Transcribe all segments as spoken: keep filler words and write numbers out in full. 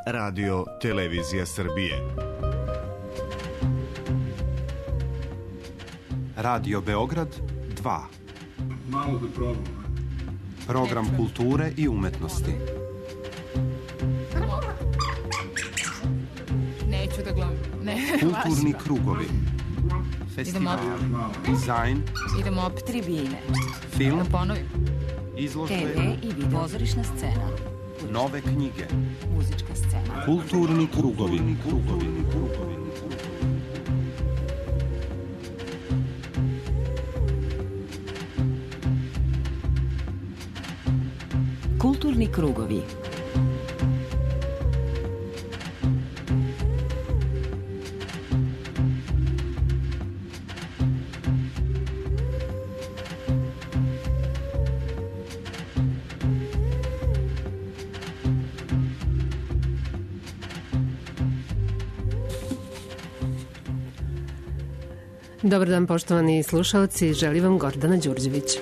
Radio Televizija Srbije. Radio Beograd dva. Malo da probam. Program kulture i umetnosti. Neću da gledam. Ne, Kulturni krugovi. Festival, dizajn. Idemo opet tribine. Film. Da ponovim. Izložbe. te ve i video. Pozorišna scena. Nove knjige. Muzička scena. Kulturni krugovi. Krugovi. Krugovi. Kulturni krugovi. Dobar dan, poštovani slušalci, želim vam Gordana Đurđević.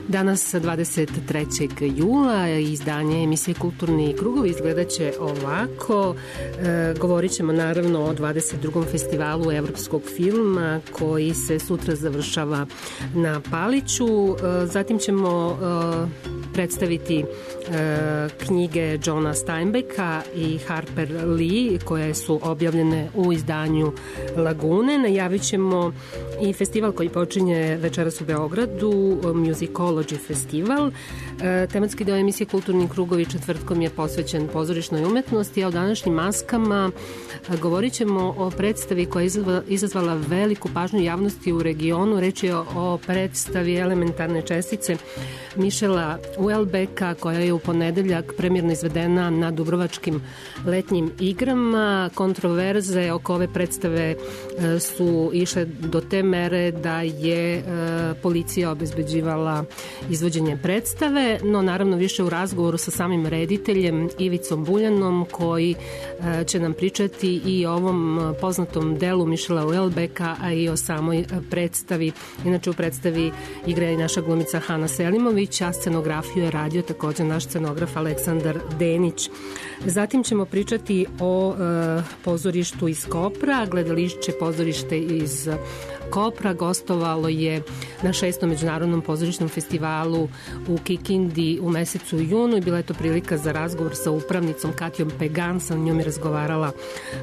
Danas, dvadeset trećeg jula, izdanje emisije Kulturni krugovi izgledat će ovako. E, govorit ćemo naravno o dvadeset drugom festivalu evropskog filma koji se sutra završava na Paliću. E, zatim ćemo e, predstaviti e, knjige Johna Steinbecka i Harper Lee koje su objavljene u izdanju Lagune. Najavit ćemo i festival koji počinje večeras u Beogradu, Musicology festival. E, tematski deo emisije Kulturni krugovi četvrtkom je posvećen pozorišnoj umetnosti, a o današnjim maskama govorit ćemo o predstavi koja je izazvala veliku pažnju javnosti u regionu. Reč je o predstavi Elementarne čestice Michela Houellebecqa koja je u ponedeljak premijerno izvedena na Dubrovačkim letnjim igrama. Kontroverze oko ove predstave su išle do te mere da je policija obezbeđivala izvođenje predstave, no naravno više u razgovoru sa samim rediteljem Ivicom Buljanom koji će nam pričati i o ovom poznatom delu Michela Houellebecqa, a i o samoj predstavi. Inače u predstavi igra i naša glumica Hana Selimović, a scenografiju je radio također naš scenograf Aleksandar Denić. Zatim ćemo pričati o e, pozorištu iz Kopra, gledališće pozorište iz Kopra gostovalo je na šestom međunarodnom pozorišnom festivalu u Kikindi u mesecu junu i bila je to prilika za razgovor sa upravnicom Katjom Pegan, sa njom je razgovarala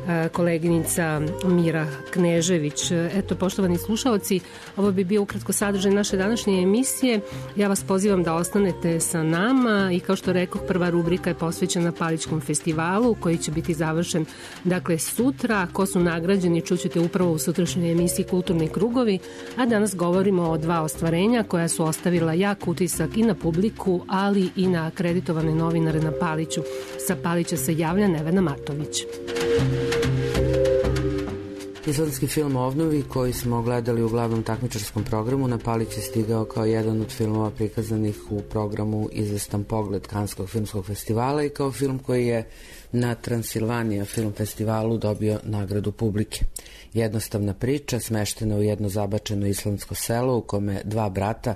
e, koleginica Mira Knežević. Eto, poštovani slušalci, ovo bi bio ukratko sadržaj naše današnje emisije. Ja vas pozivam da ostanete sa nama i kao što rekoh, prva rubrika je posvećena Palićkom festivalu koji će biti završen dakle sutra. Ko su nagrađeni čućete upravo u sutrašnjoj emisiji Kulturni krugovi, a danas govorimo o dva ostvarenja koja su ostavila jak utisak i na publiku, ali i na akreditovane novinare na Paliću. Sa Palića se javlja Nevena Matović. Islandski film Ovnovi, koji smo gledali u glavnom takmičarskom programu, na Palić je stigao kao jedan od filmova prikazanih u programu Izvestan pogled Kanskog filmskog festivala i kao film koji je na Transilvanija film festivalu dobio nagradu publike. Jednostavna priča, smeštena u jedno zabačeno islandsko selo u kome dva brata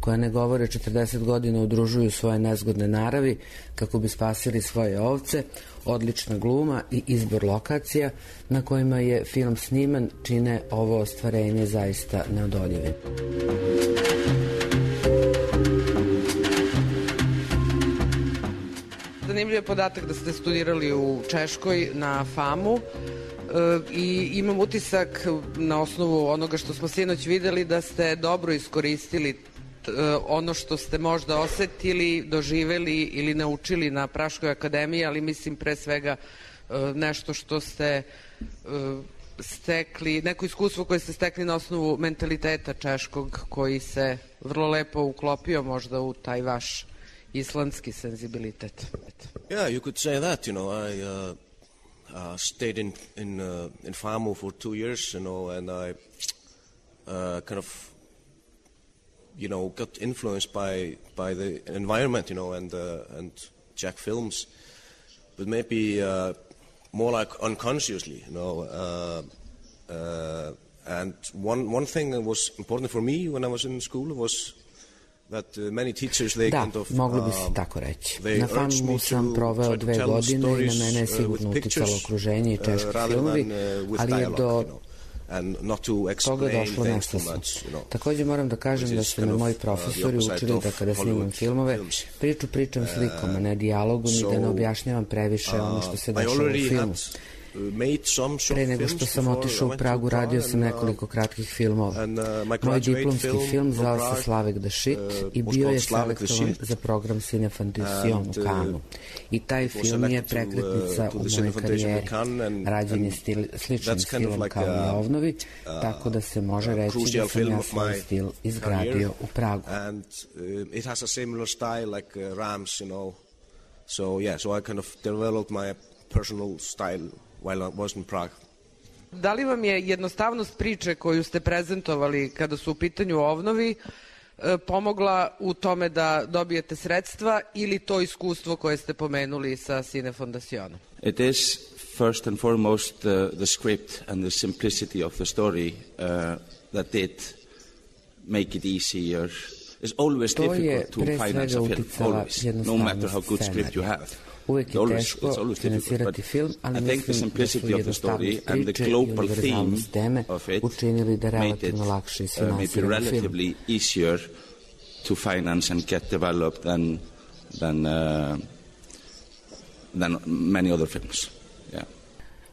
koja ne govore četrdeset godina udružuju svoje nezgodne naravi kako bi spasili svoje ovce, odlična gluma i izbor lokacija na kojima je film sniman čine ovo ostvarenje zaista neodoljive. Zanimljiv je podatak da ste studirali u Češkoj na FAMU i imam utisak na osnovu onoga što smo sinoć videli da ste dobro iskoristili ono što ste možda osetili, doživeli ili naučili na Praškoj akademiji, ali mislim pre svega nešto što ste stekli, neko iskustvo koje ste stekli na osnovu mentaliteta češkog koji se vrlo lepo uklopio možda u taj vaš islandski senzibilitet. Yeah, you could say that, you know, I uh, uh, stayed in in uh, in FAMU for two years, you know, and I uh, kind of you know, got influenced by by the environment, you know, and uh, and Czech films, but maybe uh, more like unconsciously, you know. Uh, uh, and one one thing that was important for me when I was in school was that uh, many teachers they Da, kind of moglo bi se um, tako reći. they Na urge me FAMU to sam proveo try to dve tell godine i na stories, mene je uh, sigurno with uticalo pictures, okruženje i češki uh, rather filmovi, than, uh, with ali je dialogue, do you know, and not to toga explain došlo things nešto too sam. much, you know. Takođe moram da kažem Which da is su kind me of, moji uh, profesori the opposite učili da of kada snimam Hollywood filmove, films. priču pričam slikom, a ne dijalogom i da ne so, objašnjavam previše ono što se I dešava u already filmu. had made some short Pre nego što films sam before otišao I u went to Pragu, radio Prague sam and, uh, nekoliko kratkih filmova. and, uh, my Moj graduate diplomski film film from zvao se Prague, Slavek the Shit uh, i was bio called je Slavek the selektovan Shit. za program Cine Fantasion u And, uh, Kanu. I taj was film je selected to, uh, prekretnica to u the Cine mojoj Fantasion karijeri. in Cannes and- Rađen je and stil, sličnim that's kind of stilom like kao i a, na Ovnovi, uh, tako da se može a reći da crucial sam film ja of svoj my stil izgradio career. u Pragu. And uh, it has a similar style like uh, Rams, you know. So yeah, so I kind of developed my personal style while I was in Prague. Da li vam je jednostavnost priče koju ste prezentovali kada su u pitanju Ovnovi e, pomogla u tome da dobijete sredstva ili to iskustvo koje ste pomenuli sa Cine Fondacionom? It is first and foremost uh, the script and the simplicity of the story uh, that did make it easier. It's always To je difficult to pre finance svega a film, uticala always, no jednostavnost matter how good script you scenarija. have. Uvijek je Always- teško it's always difficult, finansirati but film, ali I think the mislim da su simplicity of the story jednostavnost and the priče i global theme univerzalnost teme of it učinili da made it relativno lakše uh, maybe isfinansiramo film. relatively easier to finance and get developed than than uh, than many other films. Yeah.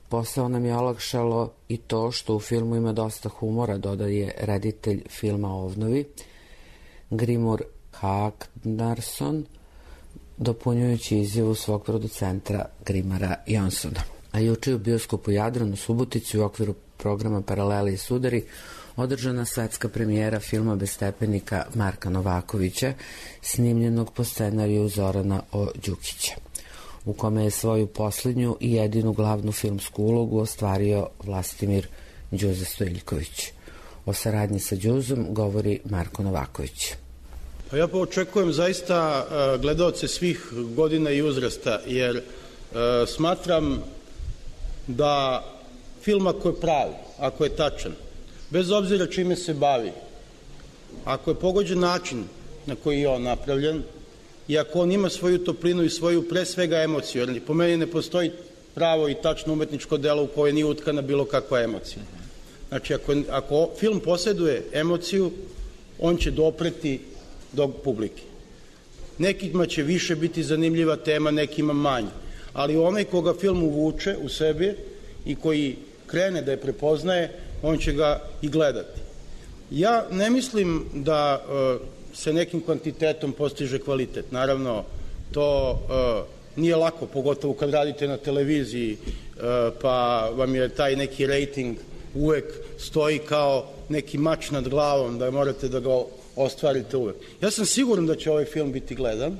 Posao nam je olakšalo i to što u filmu ima dosta humora, dodaje reditelj filma Ovnovi, Grimur Hagnarsson, dopunjujući izjavu svog producenta Grimara Jonsona. A juče u bioskopu Jadran u Subotici u okviru programa Paraleli i sudari održana svetska premijera filma Bez stepenika Marka Novakovića, snimljenog po scenariju Zorana O. Đukića, u kome je svoju poslednju i jedinu glavnu filmsku ulogu ostvario Vlastimir Đuze Stojiljković. O saradnji sa Đuzom govori Marko Novaković. Pa ja pa očekujem zaista uh, gledaoce svih godina i uzrasta, jer uh, smatram da film ako je pravi, ako je tačan, bez obzira čime se bavi, ako je pogođen način na koji je on napravljen i ako on ima svoju toplinu i svoju pre svega emociju, jer po meni ne postoji pravo i tačno umetničko delo u koje nije utkana bilo kakva emocija. Znači, ako, ako film posjeduje emociju, on će dopreti do publike. Nekima će više biti zanimljiva tema, nekima manje. Ali onaj koga film uvuče u sebi i koji krene da je prepoznaje, on će ga i gledati. Ja ne mislim da uh, se nekim kvantitetom postiže kvalitet. Naravno, to uh, nije lako, pogotovo kad radite na televiziji, uh, pa vam je taj neki rejting uvek stoji kao neki mač nad glavom, da morate da ga ostvarite uvek. Ja sam siguran da će ovaj film biti gledan uh,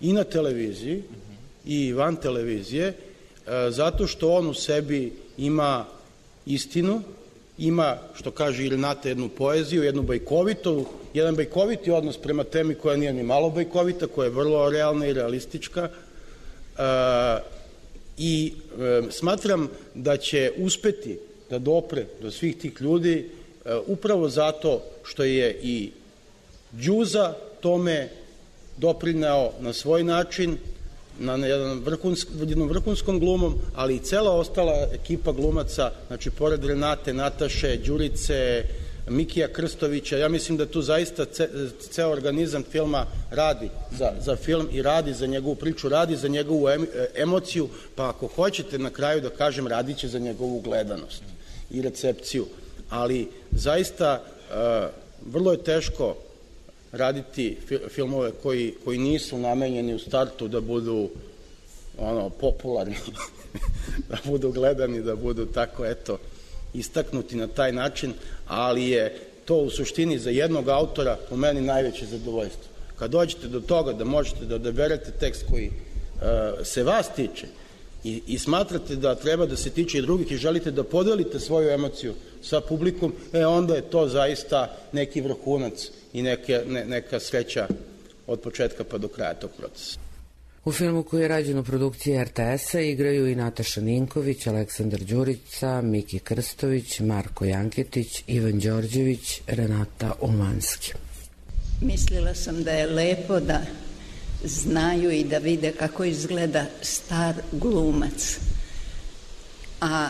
i na televiziji i van televizije, uh, zato što on u sebi ima istinu, ima, što kaže Renata, jednu poeziju, jednu bajkovitu, jedan bajkoviti odnos prema temi koja nije ni malo bajkovita, koja je vrlo realna i realistička. Uh, I uh, smatram da će uspeti da dopre do svih tih ljudi uh, upravo zato što je i Đuza tome doprineo na svoj način, na jedan vrhunsk, jednom vrhunskom glumom, ali i cela ostala ekipa glumaca, znači pored Renate, Nataše, Đurice, Mikija Krstovića, ja mislim da tu zaista ce, ceo organizam filma radi za, za film i radi za njegovu priču, radi za njegovu em, emociju, pa ako hoćete na kraju da kažem, radit će za njegovu gledanost i recepciju. Ali zaista uh, vrlo je teško raditi filmove koji, koji nisu namenjeni u startu da budu ono, popularni, da budu gledani, da budu tako, eto, istaknuti na taj način, ali je to u suštini za jednog autora po meni najveće zadovoljstvo. Kad dođete do toga da možete da odaberete tekst koji uh, se vas tiče i, i smatrate da treba da se tiče i drugih i želite da podelite svoju emociju sa publikom, e onda je to zaista neki vrhunac i neke, ne, neka sreća od početka pa do kraja tog procesa. U filmu koji je rađen u produkciji er te es-a igraju i Nataša Ninković, Aleksandar Đurica, Miki Krstović, Marko Janketić, Ivan Đorđević, Renata Ulmanski. Mislila sam da je lepo da znaju i da vide kako izgleda star glumac. A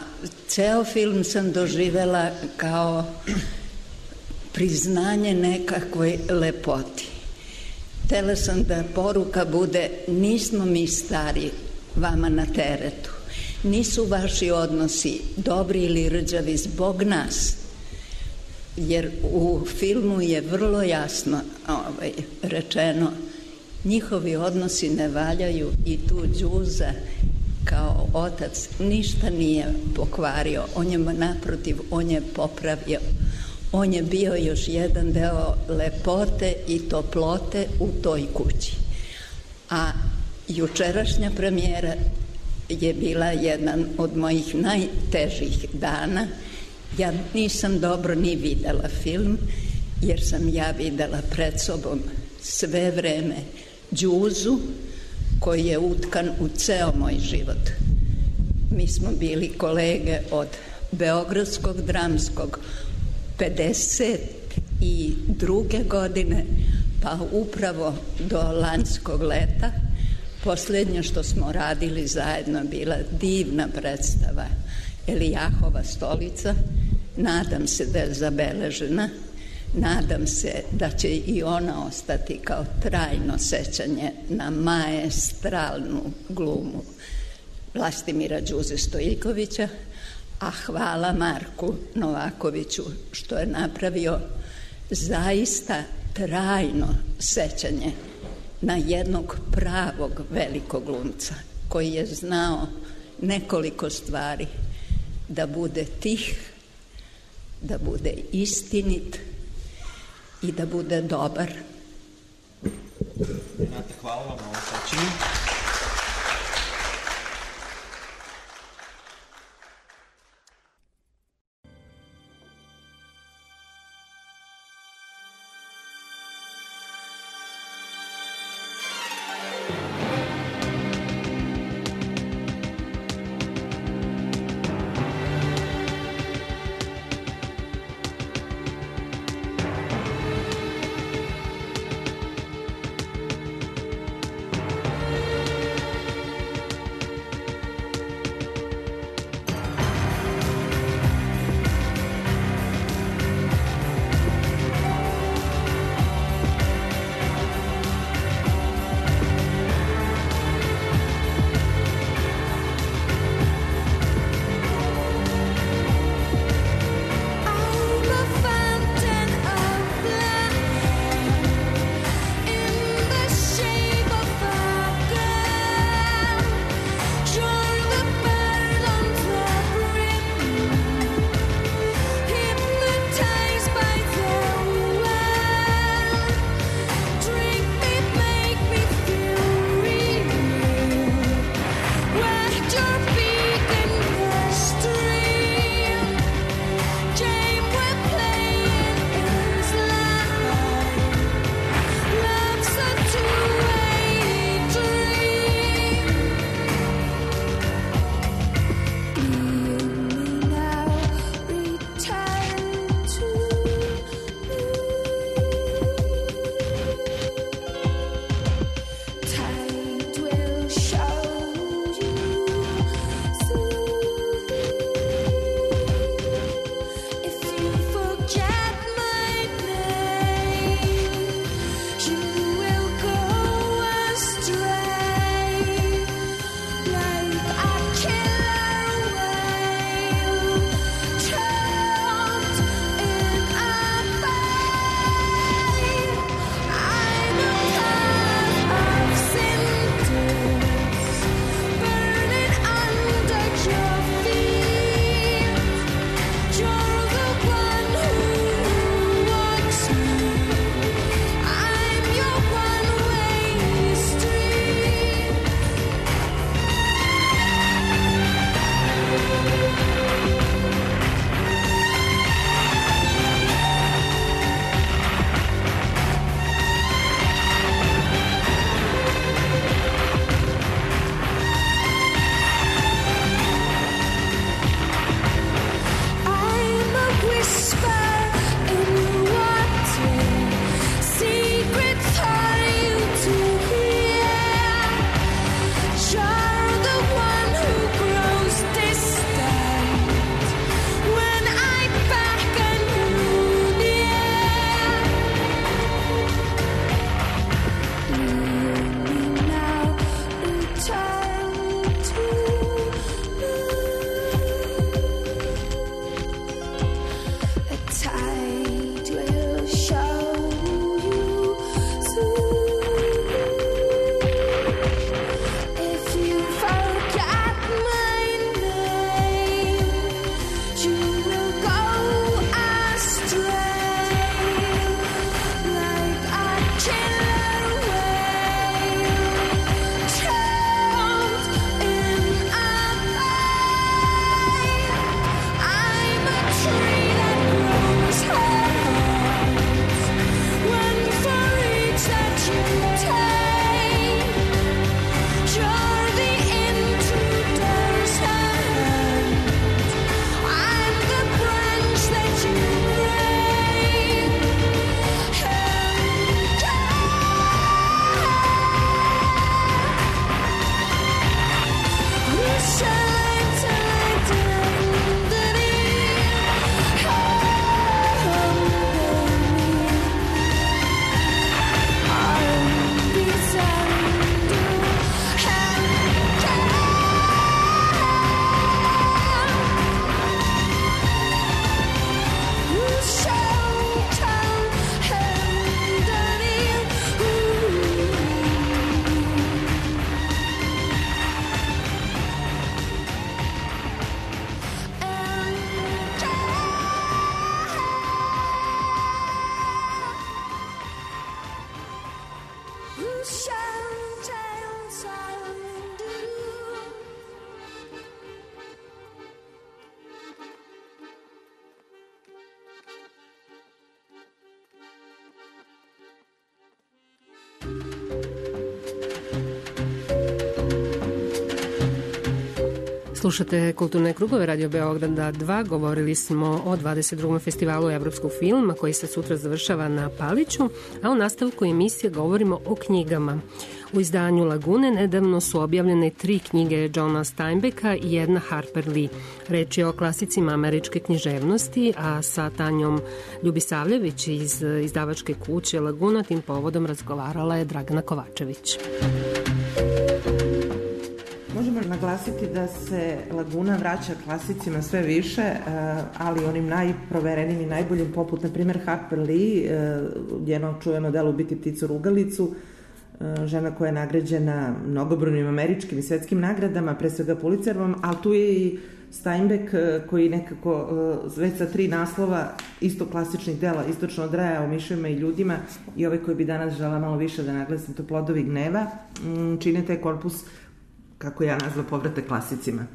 ceo film sam doživela kao priznanje nekakvoj lepoti. Htela sam da poruka bude: nismo mi stari vama na teretu, nisu vaši odnosi dobri ili rđavi zbog nas, jer u filmu je vrlo jasno ovaj, rečeno njihovi odnosi ne valjaju i tu Đuza kao otac ništa nije pokvario, on je naprotiv, on je popravio. On je bio još jedan deo lepote i toplote u toj kući. A jučerašnja premijera je bila jedan od mojih najtežih dana. Ja nisam dobro ni videla film, jer sam ja videla pred sobom sve vreme Đuzu koji je utkan u ceo moj život. Mi smo bili kolege od Beogradskog dramskog pedeset druge godine pa upravo do lanjskog leta. Poslednje što smo radili zajedno bila divna predstava Elijahova stolica. Nadam se da je zabeležena, nadam se da će i ona ostati kao trajno sećanje na maestralnu glumu Vlastimira Đuze Stojiljkovića, a hvala Marku Novakoviću što je napravio zaista trajno sećanje na jednog pravog velikog glumca koji je znao nekoliko stvari: da bude tih, da bude istinit i da bude dobar. Renata, hvala vam na ovom sećanju. child, child, child, do. Slušate Kulturne krugove Radio Beograda dva. Govorili smo o dvadeset drugom festivalu evropskog filma koji se sutra završava na Paliću, a u nastavku emisije govorimo o knjigama. U izdanju Lagune nedavno su objavljene tri knjige Johna Steinbecka i jedna Harper Lee. Reč je o klasicima američke književnosti, a sa Tanjom Ljubisavljević iz izdavačke kuće Laguna tim povodom razgovarala je Dragana Kovačević. Možemo naglasiti da se Laguna vraća klasicima sve više, ali onim najproverenim i najboljim, poput, na primjer, Harper Lee, njeno čuveno delo Biti pticu rugalicu, žena koja je nagrađena mnogobrojnim američkim i svetskim nagradama, pre svega Pulitzerovom, ali tu je i Steinbeck koji nekako već sa tri naslova isto klasičnih dela, Istočno od raja, O miševima i ljudima, i ove koje bi danas žela malo više da naglasim, to Plodovi gneva, čine taj korpus, kako ja nazvam, povratak klasicima.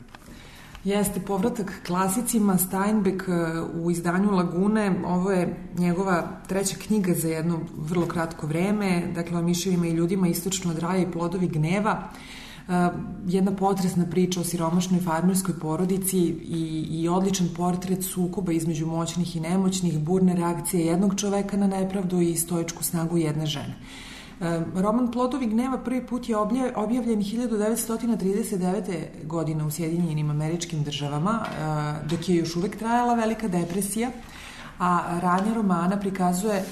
Jeste, povratak klasicima. Steinbeck u izdanju Lagune, ovo je njegova treća knjiga za jedno vrlo kratko vreme, dakle o miševima i ljudima, Istočno od raja i Plodovi gneva. Jedna potresna priča o siromašnoj farmerskoj porodici i, i odličan portret sukoba između moćnih i nemoćnih, burne reakcije jednog čoveka na nepravdu i stoičku snagu jedne žene. Roman Plodovi gneva prvi put je objavljen hiljadu devetsto trideset devete. godine u Sjedinjenim Američkim Državama, dok je još uvek trajala Velika depresija, a radnja romana prikazuje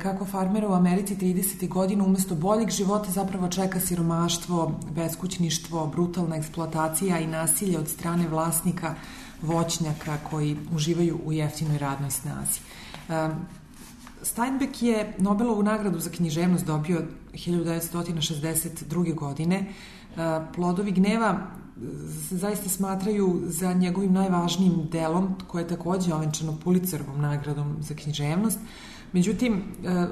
kako farmera u Americi tridesetih godina umesto boljeg života zapravo čeka siromaštvo, beskućništvo, brutalna eksploatacija i nasilje od strane vlasnika voćnjaka koji uživaju u jeftinoj radnoj snazi. Steinbeck je Nobelovu nagradu za književnost dobio hiljadu devetsto šezdeset druge. godine. Plodovi gneva se zaista smatraju za njegovim najvažnijim delom, koje je takođe ovenčano Pulitzerovom nagradom za književnost. Međutim,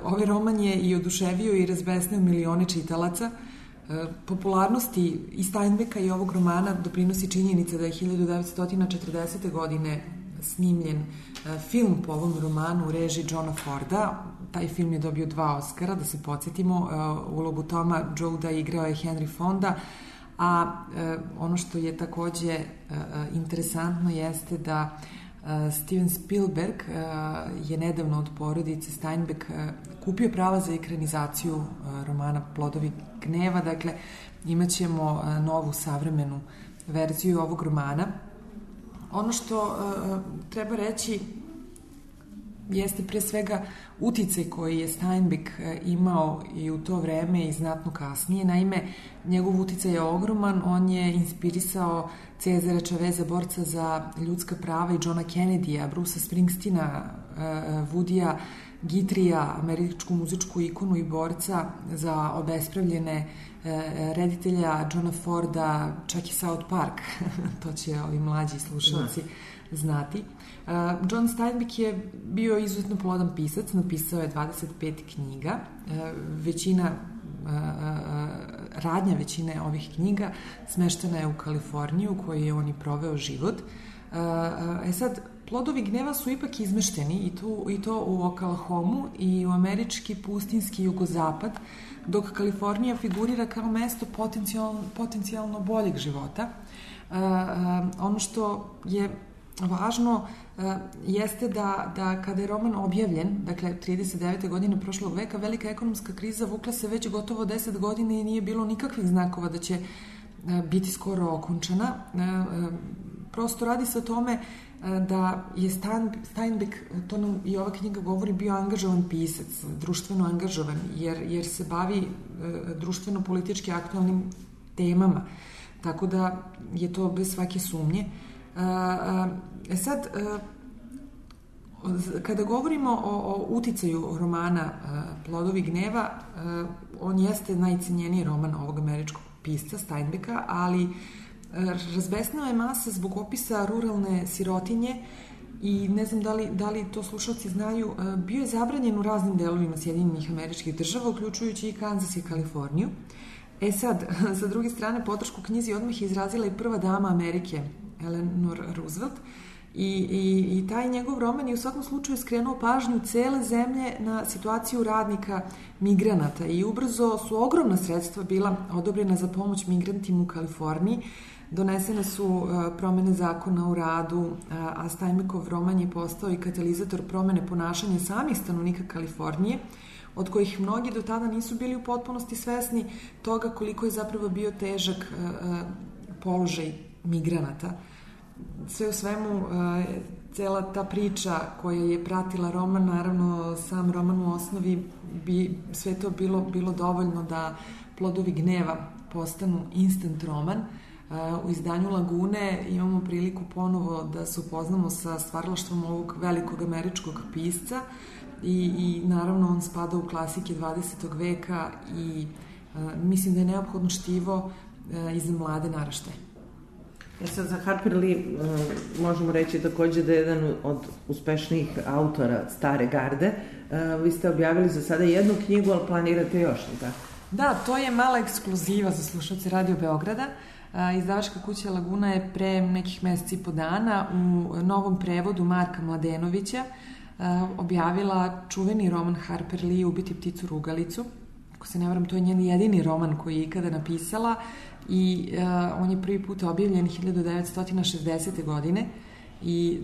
ovaj roman je i oduševio i razbesneo milione čitalaca. Popularnosti i Steinbecka i ovog romana doprinosi činjenica da je hiljadu devetsto četrdesete. godine snimljen film po ovom romanu u režiji Johna Forda. Taj film je dobio dva Oscara, da se podsjetimo. Ulogu Toma Jouda igrao je Henry Fonda, a ono što je takođe interesantno jeste da Steven Spielberg je nedavno od porodice Steinbeck kupio prava za ekranizaciju romana Plodovi gneva, dakle imaćemo novu savremenu verziju ovog romana. Ono što uh, treba reći jeste pre svega uticaj koji je Steinbeck imao i u to vreme i znatno kasnije. Naime, njegov uticaj je ogroman, on je inspirisao Cezara Chaveza, borca za ljudska prava, i Johna Kennedy-a, Brucea Springsteena, uh, Woodya Guitryja, američku muzičku ikonu i borca za obespravljene reditelja Johna Forda, čak i South Park, to će ovi mlađi slušalci znati. John Steinbeck je bio izuzetno plodan pisac, napisao je dvadeset pet knjiga, većina, radnja većine ovih knjiga smeštena je u Kaliforniju, u kojoj je on i proveo život. E sad, Plodovi gneva su ipak izmešteni i, tu, i to u Okalahomu i u američki pustinski jugozapad, dok Kalifornija figurira kao mesto potencijalno, potencijalno boljeg života. Uh, uh, ono što je važno uh, jeste da, da kada je roman objavljen, dakle trideset devete. godine prošlog veka, velika ekonomska kriza vukla se već gotovo deset godina i nije bilo nikakvih znakova da će uh, biti skoro okončana. Uh, uh, prosto radi se o tome da je Steinbeck, to nam i ova knjiga govori, bio angažovan pisac, društveno angažovan, jer, jer se bavi društveno-politički aktualnim temama, tako da je to bez svake sumnje. E sad, kada govorimo o, o uticaju romana Plodovi gneva, on jeste najcenjeniji roman ovog američkog pisca Steinbecka, ali razbesnao je masa zbog opisa ruralne sirotinje i ne znam da li, da li to slušalci znaju, bio je zabranjen u raznim delovima Sjedinjenih Američkih Država, uključujući i Kansas i Kaliforniju. E sad, sa druge strane, podršku knjizi odmah je izrazila i prva dama Amerike, Eleanor Roosevelt, I, i, i taj njegov roman je u svakom slučaju skrenuo pažnju cele zemlje na situaciju radnika migranata i ubrzo su ogromna sredstva bila odobrena za pomoć migrantima u Kaliforniji. Donesene su uh, promene zakona u radu, uh, a Steinbeckov roman je postao i katalizator promene ponašanja samih stanovnika Kalifornije, od kojih mnogi do tada nisu bili u potpunosti svesni toga koliko je zapravo bio težak uh, uh, položaj migranata. Sve u svemu, cela ta priča koja je pratila roman, naravno sam roman u osnovi bi sve to bilo, bilo dovoljno da Plodovi gneva postanu instant roman. U izdanju Lagune imamo priliku ponovo da se upoznamo sa stvaralaštvom ovog velikog američkog pisca i, i naravno on spada u klasike dvadesetog veka i mislim da je neophodno štivo i za mlade naraštaje. E sad, za Harper Lee uh, možemo reći takođe da je jedan od uspešnijih autora stare garde. Uh, vi ste objavili za sada jednu knjigu, ali planirate još, ne tako? Da, to je mala ekskluziva za slušalce Radio Beograda. Uh, izdavačka kuća Laguna je pre nekih meseci i po dana u novom prevodu Marka Mladenovića uh, objavila čuveni roman Harper Lee Ubiti pticu rugalicu. Ako se ne varam, to je njen jedini roman koji je ikada napisala i uh, on je prvi put objavljen hiljadu devetsto šezdesete. godine i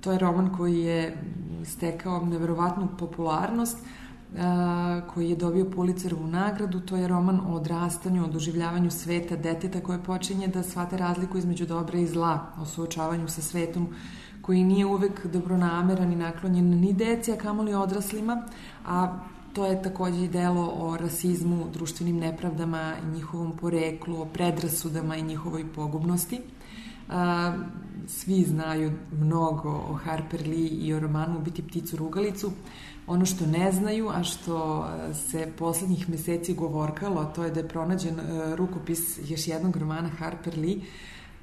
to je roman koji je stekao neverovatnu popularnost, uh, koji je dobio Pulitzerovu nagradu. To je roman o odrastanju, o doživljavanju sveta deteta koje počinje da shvate razliku između dobra i zla, o suočavanju sa svetom koji nije uvek dobronameran i naklonjen ni deci, a kamoli odraslima, a to je takođe i delo o rasizmu, društvenim nepravdama i njihovom poreklu, o predrasudama i njihovoj pogubnosti. Svi znaju mnogo o Harper Lee i o romanu Ubiti pticu rugalicu. Ono što ne znaju, a što se poslednjih meseci govorkalo, to je da je pronađen rukopis još jednog romana Harper Lee.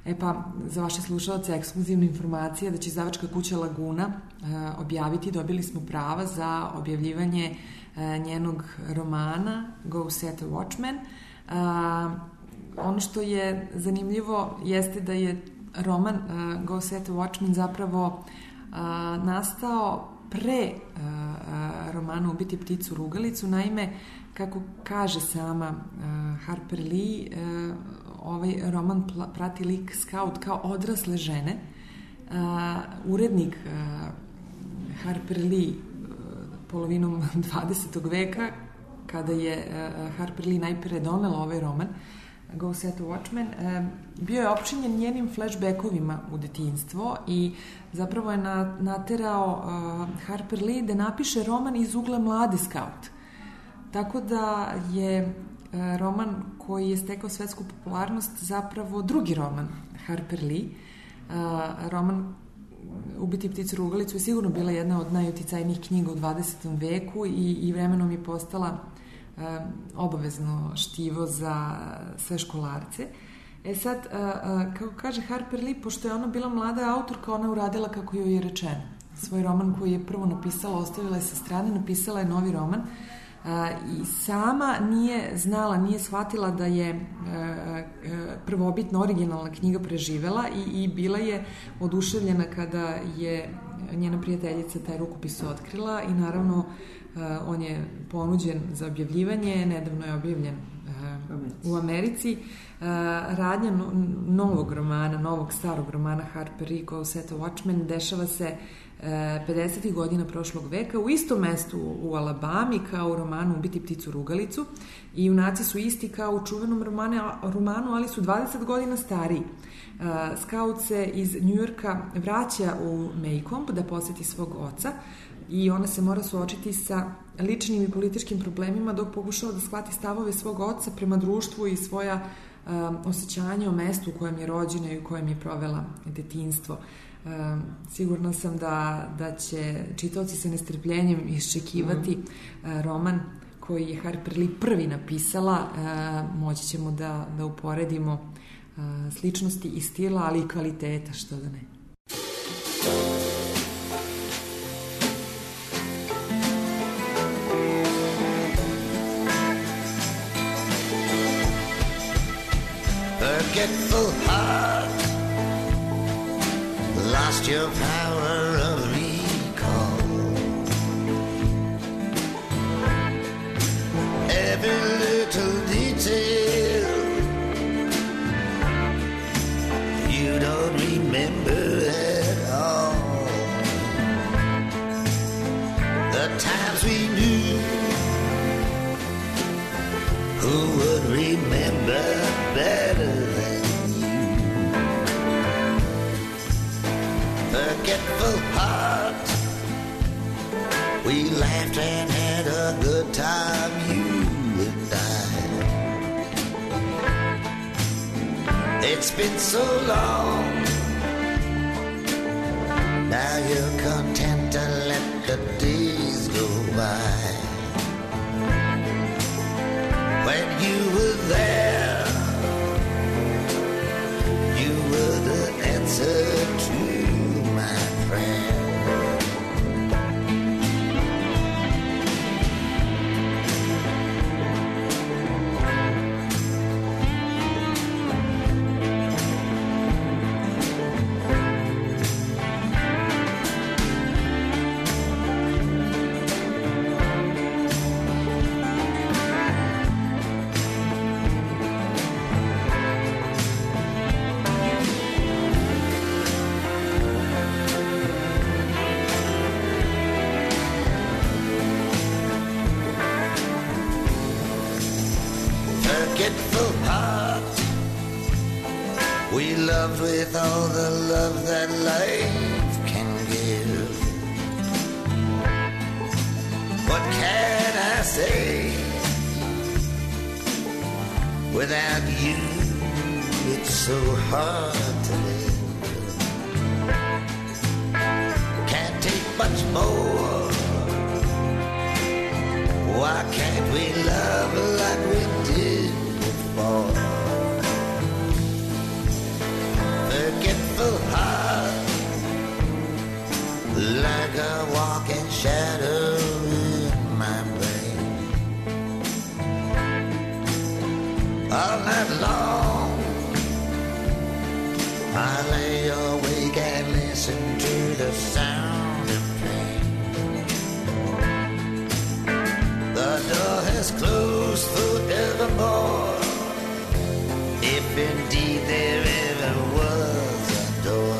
E pa, za vaše slušalce, ekskluzivna informacija da će izdavačka kuća Laguna objaviti, dobili smo prava za objavljivanje njenog romana Go Set a Watchman. Uh, ono što je zanimljivo jeste da je roman uh, Go Set a Watchman zapravo uh, nastao pre uh, romana Ubiti pticu rugalicu. Naime, kako kaže sama uh, Harper Lee, uh, ovaj roman prati lik Scout kao odrasle žene. Uh, urednik uh, Harper Lee polovinom dvadesetog veka, kada je uh, Harper Lee najpre donela ovaj roman Go Set a Watchman, uh, bio je opčinjen njenim flashbackovima u detinjstvo i zapravo je na, naterao uh, Harper Lee da napiše roman iz ugla mlade Scout. Tako da je uh, roman koji je stekao svetsku popularnost zapravo drugi roman Harper Lee, uh, roman Ubiti pticu rugalicu je sigurno bila jedna od najuticajnijih knjiga u dvadesetom veku i, i vremenom je postala um, obavezno štivo za sve školarce. E sad, uh, uh, kako kaže Harper Lee, pošto je ona bila mlada autorka, ona je uradila kako joj je rečeno. Svoj roman koji je prvo napisala, ostavila je sa strane, napisala je novi roman. Uh, i sama nije znala, nije shvatila da je uh, uh, prvobitna originalna knjiga preživela i, i bila je oduševljena kada je njena prijateljica taj rukopis otkrila i naravno uh, on je ponuđen za objavljivanje, nedavno je objavljen uh, u Americi. Uh, radnja no, novog romana, novog starog romana Harper Lee Go Set a Watchman dešava se pedesetih godina prošlog veka u istom mestu u Alabami kao u romanu Ubiti pticu rugalicu i junaci su isti kao u čuvenom romane, romanu, ali su dvadeset godina stariji. Scout se iz Njujorka vraća u Maycomb da poseti svog oca i ona se mora suočiti sa ličnim i političkim problemima dok pokušava da shvati stavove svog oca prema društvu i svoja um, osjećanja o mestu u kojem je rođena i u kojem je provela detinjstvo. Um, sigurna sam da, da će čitaoci sa nestrpljenjem iščekivati mm. uh, roman koji je Harper Lee prvi napisala. Uh, moći ćemo da, da uporedimo uh, sličnosti i stila, ali i kvaliteta, što da ne. forgetful heart, lost your power of recall. Every little detail you don't remember at all. The times we knew, who would remember better than you? Forgetful heart, we laughed and had a good time, you and I. It's been so long, now you're content to let the days go by. When you were there, you were the answer to my prayer. Forgetful heart, we loved with all the love that life can give. What can I say? Without you, it's so hard to live. Can't take much more. Why can't we love like we did before? Forgetful heart, like a walking shadow in my brain. All night long, I lay awake and listen to the sound of pain. The door has closed forevermore, if indeed there ever was a door.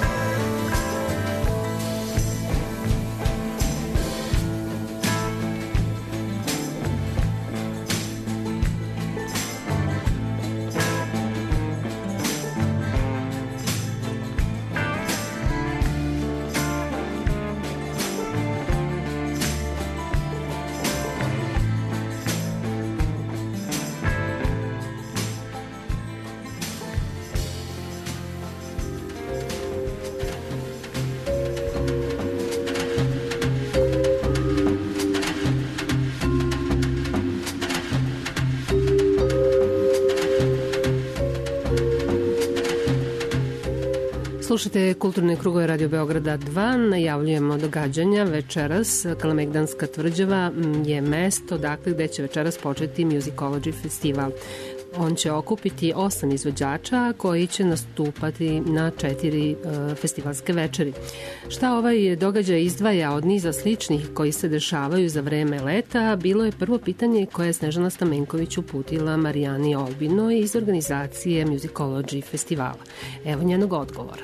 Slušajte Kulturne krugove Radio Beograda dva, najavljujemo događanja večeras. Kalemegdanska tvrđava je mesto dakle gde će večeras početi Musicology festival. On će okupiti osam izvođača koji će nastupati na četiri uh, festivalske večeri. Šta ovaj događaj izdvaja od niza sličnih koji se dešavaju za vreme leta, bilo je prvo pitanje koje je Snežana Stamenković uputila Marijani Olbino iz organizacije Musicology festivala. Evo njenog odgovora.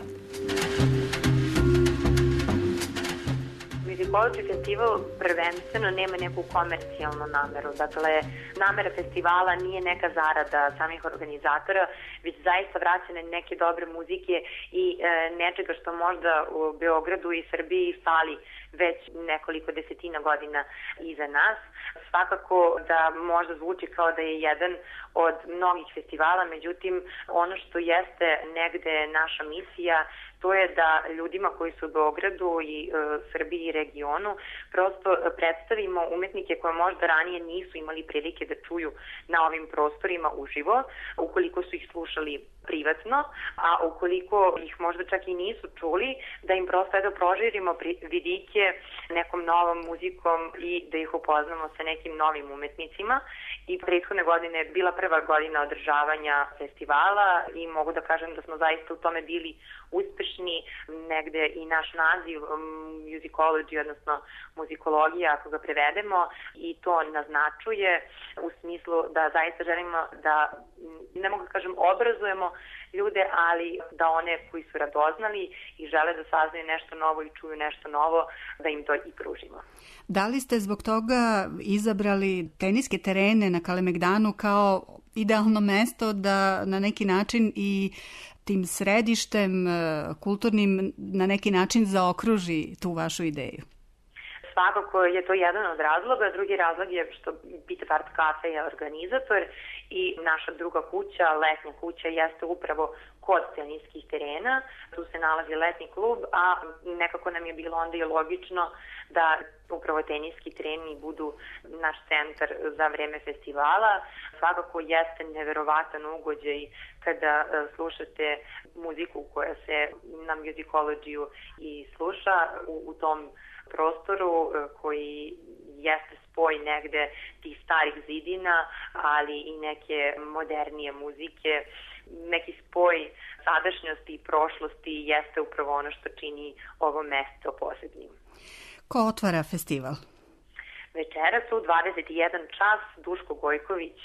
Musicology festival prvenstveno nema neku komercijalnu nameru. Dakle, namera festivala nije neka zarada samih organizatora, već zaista vraćanje neke dobre muzike i e, nečega što možda u Beogradu i Srbiji fali već nekoliko desetina godina iza nas. Svakako da možda zvuči kao da je jedan od mnogih festivala, međutim ono što jeste negde naša misija, to je da ljudima koji su u Beogradu i e, Srbiji i regionu prosto predstavimo umetnike koje možda ranije nisu imali prilike da čuju na ovim prostorima uživo, ukoliko su ih slušali privatno, a ukoliko ih možda čak i nisu čuli, da im prosto eto prožirimo vidike publike nekom novom muzikom i da ih upoznamo sa nekim novim umetnicima. I prethodne godine je bila prva godina održavanja festivala i mogu da kažem da smo zaista u tome bili uspešni. Negde i naš naziv musicology, odnosno muzikologija, ako ga prevedemo, i to naznačuje u smislu da zaista želimo da, ne mogu da kažem obrazujemo ljude, ali da one koji su radoznali i žele da saznaju nešto novo i čuju nešto novo, da im to i pružimo. Da li ste zbog toga izabrali teniske terene na Kalemegdanu kao idealno mesto da na neki način i tim središtem kulturnim na neki način zaokruži tu vašu ideju? Svakako je to jedan od razloga. Drugi razlog je što Beat Apart Cafe je organizator i naša druga kuća, letnja kuća, jeste upravo kod teniskih terena. Tu se nalazi letni klub, a nekako nam je bilo onda i logično da upravo teniski tereni budu naš centar za vreme festivala. Svakako jeste neverovatan ugođaj kada slušate muziku koja se na musicology-u i sluša u, u tom prostoru koji jeste spoj negde tih starih zidina, ali i neke modernije muzike. Neki spoj sadašnjosti i prošlosti jeste upravo ono što čini ovo mesto posebnim. Ko otvara festival? Večeras u dvadeset i jedan čas Duško Gojković,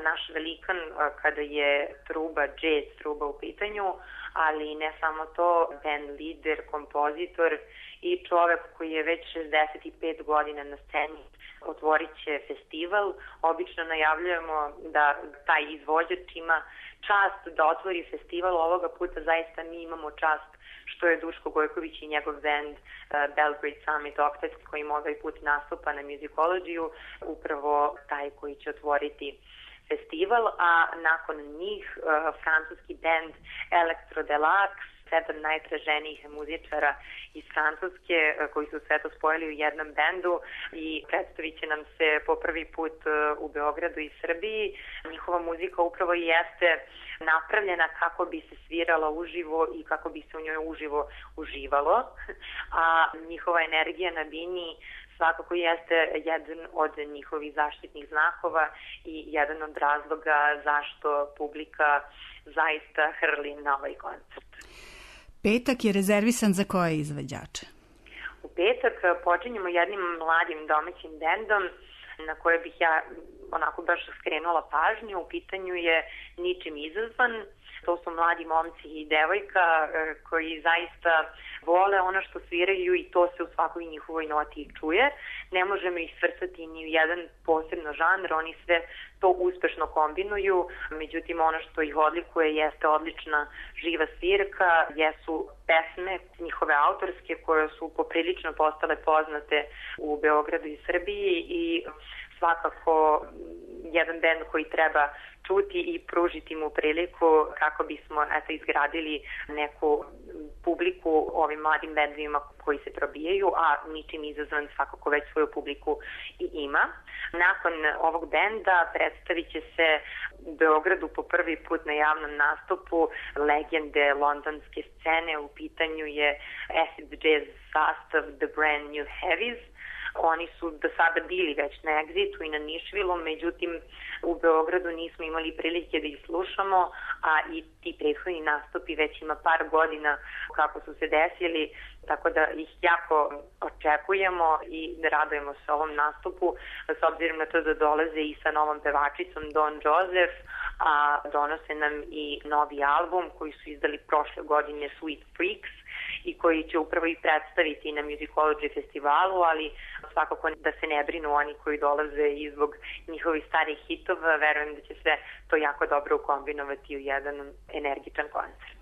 naš velikan kada je truba, jazz truba u pitanju, ali ne samo to, band lider, kompozitor i čovek koji je već šezdeset i pet godina na sceni, otvorit će festival. Obično najavljujemo da taj izvođač ima čast da otvori festival. Ovoga puta zaista mi imamo čast što je Duško Gojković i njegov band uh, Belgrade Summit Octet, kojim ovaj put nastupa na musicology-u, upravo taj koji će otvoriti festival, a nakon njih uh, francuski band Electro Deluxe, sedam najtraženijih muzičara iz Francuske koji su sve to spojili u jednom bendu i predstavit će nam se po prvi put u Beogradu i Srbiji. Njihova muzika upravo jeste napravljena kako bi se svirala uživo i kako bi se u njoj uživo uživalo, a njihova energija na bini svakako jeste jedan od njihovih zaštitnih znakova i jedan od razloga zašto publika zaista hrli na ovaj koncert. Petak je rezervisan za koje izvođače? U petak počinjemo jednim mladim domaćim bendom na koje bih ja onako baš skrenula pažnju. U pitanju je Ničim izazvan. To su mladi momci i devojka koji zaista vole ono što sviraju i to se u svakoj njihovoj noti čuje. Ne možemo ih svrstati ni u jedan posebno žanr, oni sve to uspešno kombinuju, međutim ono što ih odlikuje jeste odlična živa svirka, jesu pesme njihove autorske koje su poprilično postale poznate u Beogradu i Srbiji i svakako jedan bend koji treba čuti i pružiti mu priliku kako bismo eto, izgradili neku publiku ovim mladim bendovima koji se probijaju, a Ničim izazvan svakako već svoju publiku i ima. Nakon ovog benda predstavit će se u Beogradu po prvi put na javnom nastupu legende londonske scene. U pitanju je acid jazz sastav The Brand New Heavies. Oni su do sada bili već na Exitu i na Nišvilu, međutim u Beogradu nismo imali prilike da ih slušamo, a i ti prethodni nastupi već ima par godina kako su se desili, tako da ih jako očekujemo i radujemo se ovom nastupu, s obzirom na to da dolaze i sa novom pevačicom Don Joseph, a donose nam i novi album koji su izdali prošle godine, Sweet Freaks, i koji će upravo i predstaviti na musicology festivalu, ali svakako da se ne brinu oni koji dolaze i zbog njihovih starih hitova, verujem da će sve to jako dobro ukombinovati u jedan energičan koncert.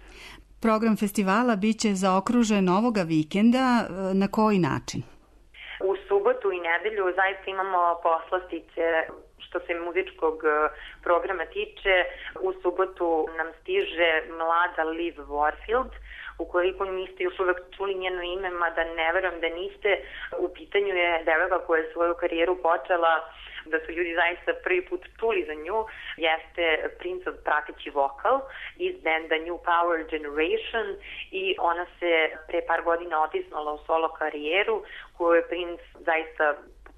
Program festivala biće zaokružen ovoga vikenda, na koji način? U subotu i nedelju zaista imamo poslastice što se muzičkog programa tiče. U subotu nam stiže mlada Liv Warfield. Ukoliko niste još uvek čuli njeno ime, mada ne verujem da niste, u pitanju je devojka koja je svoju karijeru počela da su ljudi zaista prvi put čuli za nju, jeste Princeov prateći vokal iz benda New Power Generation i ona se pre par godina otisnula u solo karijeru koju je Prince zaista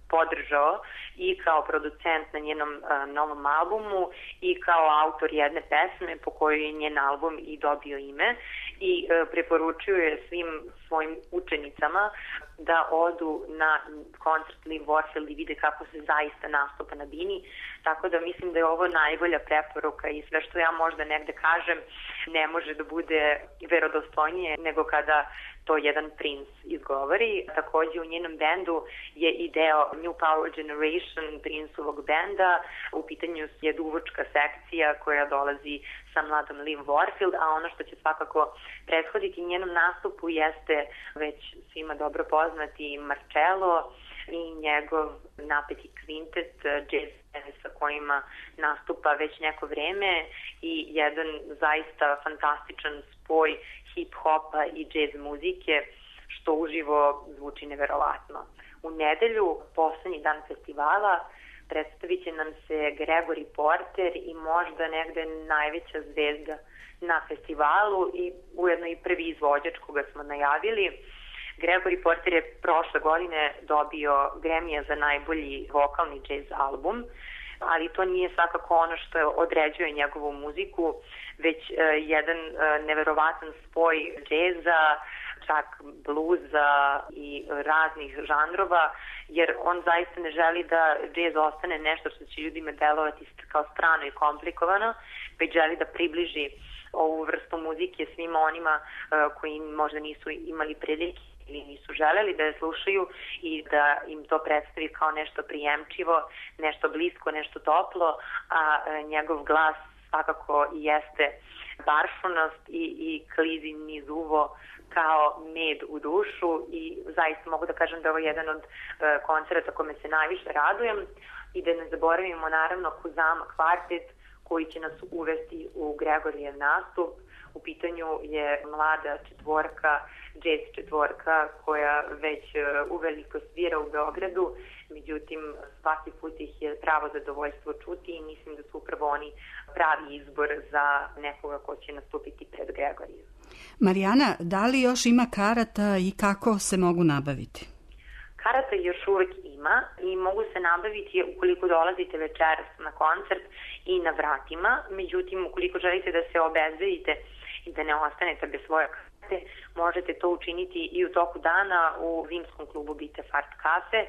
podržao i kao producent na njenom uh, novom albumu i kao autor jedne pesme po kojoj je njen album i dobio ime i uh, preporučio je svim svojim učenicama da odu na koncert Liv Warfield i vide kako se zaista nastupa na bini, tako da mislim da je ovo najbolja preporuka i sve što ja možda negde kažem ne može da bude verodostojnije nego kada to jedan Prince izgovori. Takođe u njenom bendu je i deo New Power Generation Princeovog benda, u pitanju je duvačka sekcija koja dolazi sa mladom Liv Warfield, a ono što će svakako prethoditi njenom nastupu jeste već svima dobro poznati Marcello i njegov napeti kvintet jazz sa kojima nastupa već neko vreme i jedan zaista fantastičan spoj hip-hopa i jazz muzike, što uživo zvuči neverovatno. U nedelju, poslednji dan festivala, predstavit će nam se Gregory Porter i možda negde najveća zvezda na festivalu i ujedno i prvi izvođač koga smo najavili. Gregory Porter je prošle godine dobio Grammy za najbolji vokalni jazz album, ali to nije svakako ono što određuje njegovu muziku, već uh, jedan uh, neverovatan spoj džeza, čak bluza i raznih žanrova, jer on zaista ne želi da džez ostane nešto što će ljudima delovati kao strano i komplikovano, već želi da približi ovu vrstu muzike svima onima uh, koji možda nisu imali prilike ili nisu želeli da je slušaju i da im to predstavi kao nešto prijemčivo, nešto blisko, nešto toplo, a njegov glas svakako jeste baršunost i, i klizi niz uvo kao med u dušu i zaista mogu da kažem da ovo je jedan od uh, koncerata kome se najviše radujem i da ne zaboravimo naravno Kuzama kvartet koji će nas uvesti u Gregorijev nastup. U pitanju je mlada četvorka, jazz četvorka koja već uveliko svira u Beogradu, međutim svaki put ih je pravo zadovoljstvo čuti i mislim da su upravo oni pravi izbor za nekoga ko će nastupiti pred Gregorijem. Marijana, da li još ima karata i kako se mogu nabaviti? Karata još uvek ima i mogu se nabaviti ukoliko dolazite večeras na koncert i na vratima, međutim ukoliko želite da se obezbedite i da ne ostanete bez svoje karte, možete to učiniti i u toku dana u zimskom klubu Bite Fart Cafe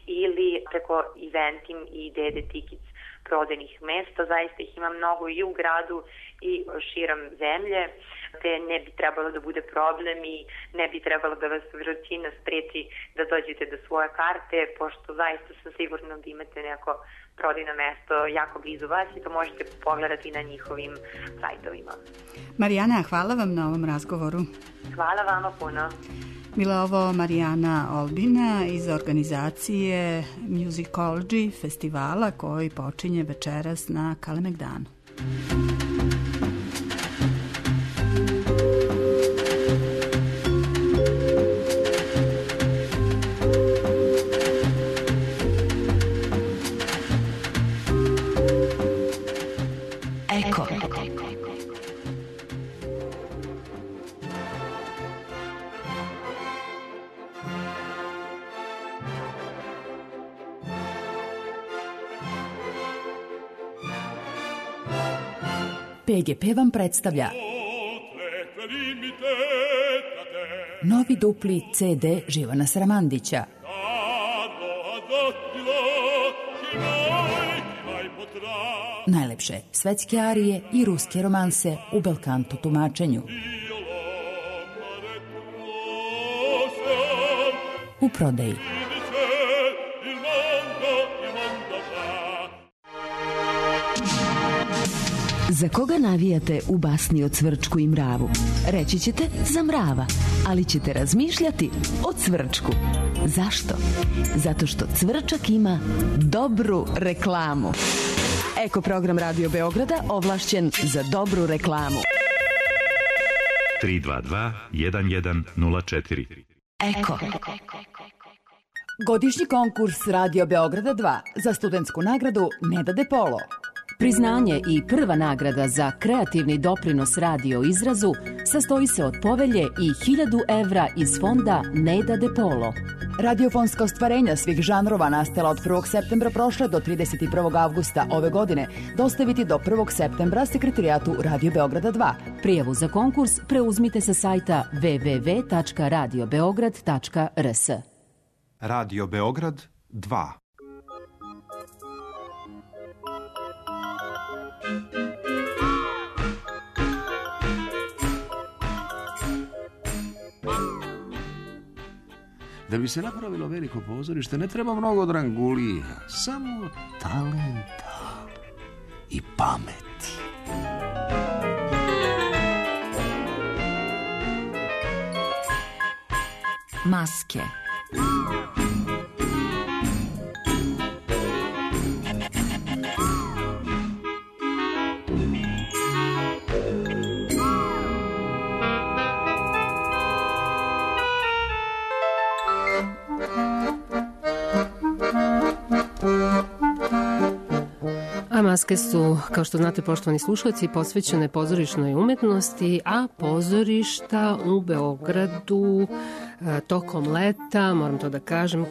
ili preko Eventim i Dede Tickets prodajnih mesta. Zaista ih ima mnogo i u gradu i širom zemlje, te ne bi trebalo da bude problem i ne bi trebalo da vas vrućina spreči da dođete do svoje karte, pošto zaista sam sigurna da imate neko prodajno mesto jako blizu vas i to možete pogledati na njihovim sajtovima. Marijana, hvala vam na ovom razgovoru. Hvala vama puno. Bila ovo Marijana Olbina iz organizacije Musicology festivala koji počinje večeras na Kalemegdanu. Eko. P G P vam predstavlja novi dupli C D Živana Sramandića. Najlepše svetske arije i ruske romanse u belkanto tumačenju. U prodaji. Za koga navijate u basni o Cvrčku i mravu? Reći ćete za mrava, ali ćete razmišljati o Cvrčku. Zašto? Zato što Cvrčak ima dobru reklamu. Eko program Radio Beograda ovlašćen za dobru reklamu. tri dva dva jedan jedan nula četiri. Eko. Godišnji konkurs Radio Beograda dva za studentsku nagradu Neda De Polo. Priznanje i prva nagrada za kreativni doprinos radio izrazu sastoji se od povelje i hiljadu evra iz fonda Neda De Polo. Radiofonska ostvarenja svih žanrova nastala od prvog septembra prošle do trideset prvog avgusta ove godine dostaviti do prvog septembra sekretarijatu Radio Beograda dva. Prijavu za konkurs preuzmite sa sajta w w w tačka radio beograd tačka r s. Radio Beograd dva. Da bi se napravilo veliko pozorište ne treba mnogo drangulija, samo talenta i pameti. Maske. A maske su, kao što znate, poštovani slušalci, posvećene pozorišnoj umetnosti, a pozorišta u Beogradu tokom leta, moram to da kažem,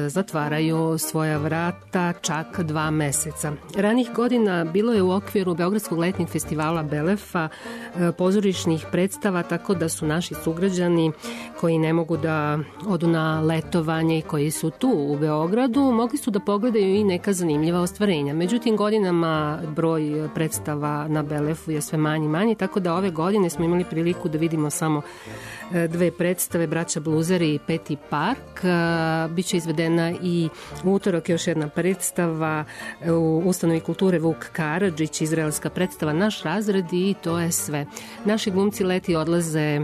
zatvaraju svoja vrata čak dva meseca. Ranih godina bilo je u okviru Beogradskog letnjeg festivala Belefa pozorišnih predstava, tako da su naši sugrađani koji ne mogu da odu na letovanje i koji su tu u Beogradu, mogli su da pogledaju i neka zanimljiva ostvarenja. Međutim, godinama broj predstava na Belefu je sve manji manji, tako da ove godine smo imali priliku da vidimo samo dve predstave, Braća Bluzeri i Peti Park. Biće izvedena i u utorak još jedna predstava u Ustanovi kulture Vuk Karadžić, izraelska predstava Naš razred, i to je sve. Naši glumci leti odlaze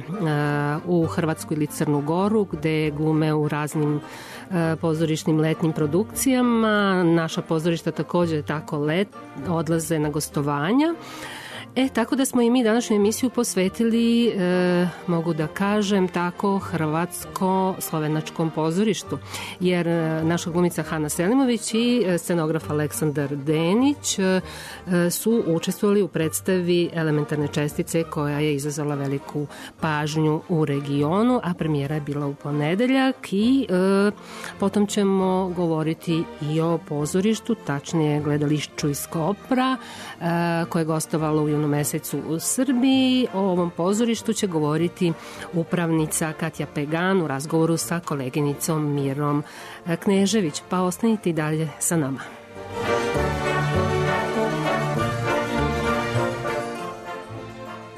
u Hrvatsku ili Crnu Goru, gde glume u raznim pozorišnim letnim produkcijama. Naša pozorišta također tako let odlaze na gostovanja. E, tako da smo i mi današnju emisiju posvetili, e, mogu da kažem tako, hrvatsko-slovenačkom pozorištu, jer e, naša glumica Hana Selimović i e, scenograf Aleksandar Denić e, su učestvovali u predstavi Elementarne čestice, koja je izazvala veliku pažnju u regionu, a premijera je bila u ponedeljak, i e, potom ćemo govoriti i o pozorištu, tačnije gledališću iz Kopra, e, koje je gostovalo u mesecu u Srbiji. O ovom pozorištu će govoriti upravnica Katja Pegan u razgovoru sa koleginicom Mirom Knežević, pa ostanite i dalje sa nama.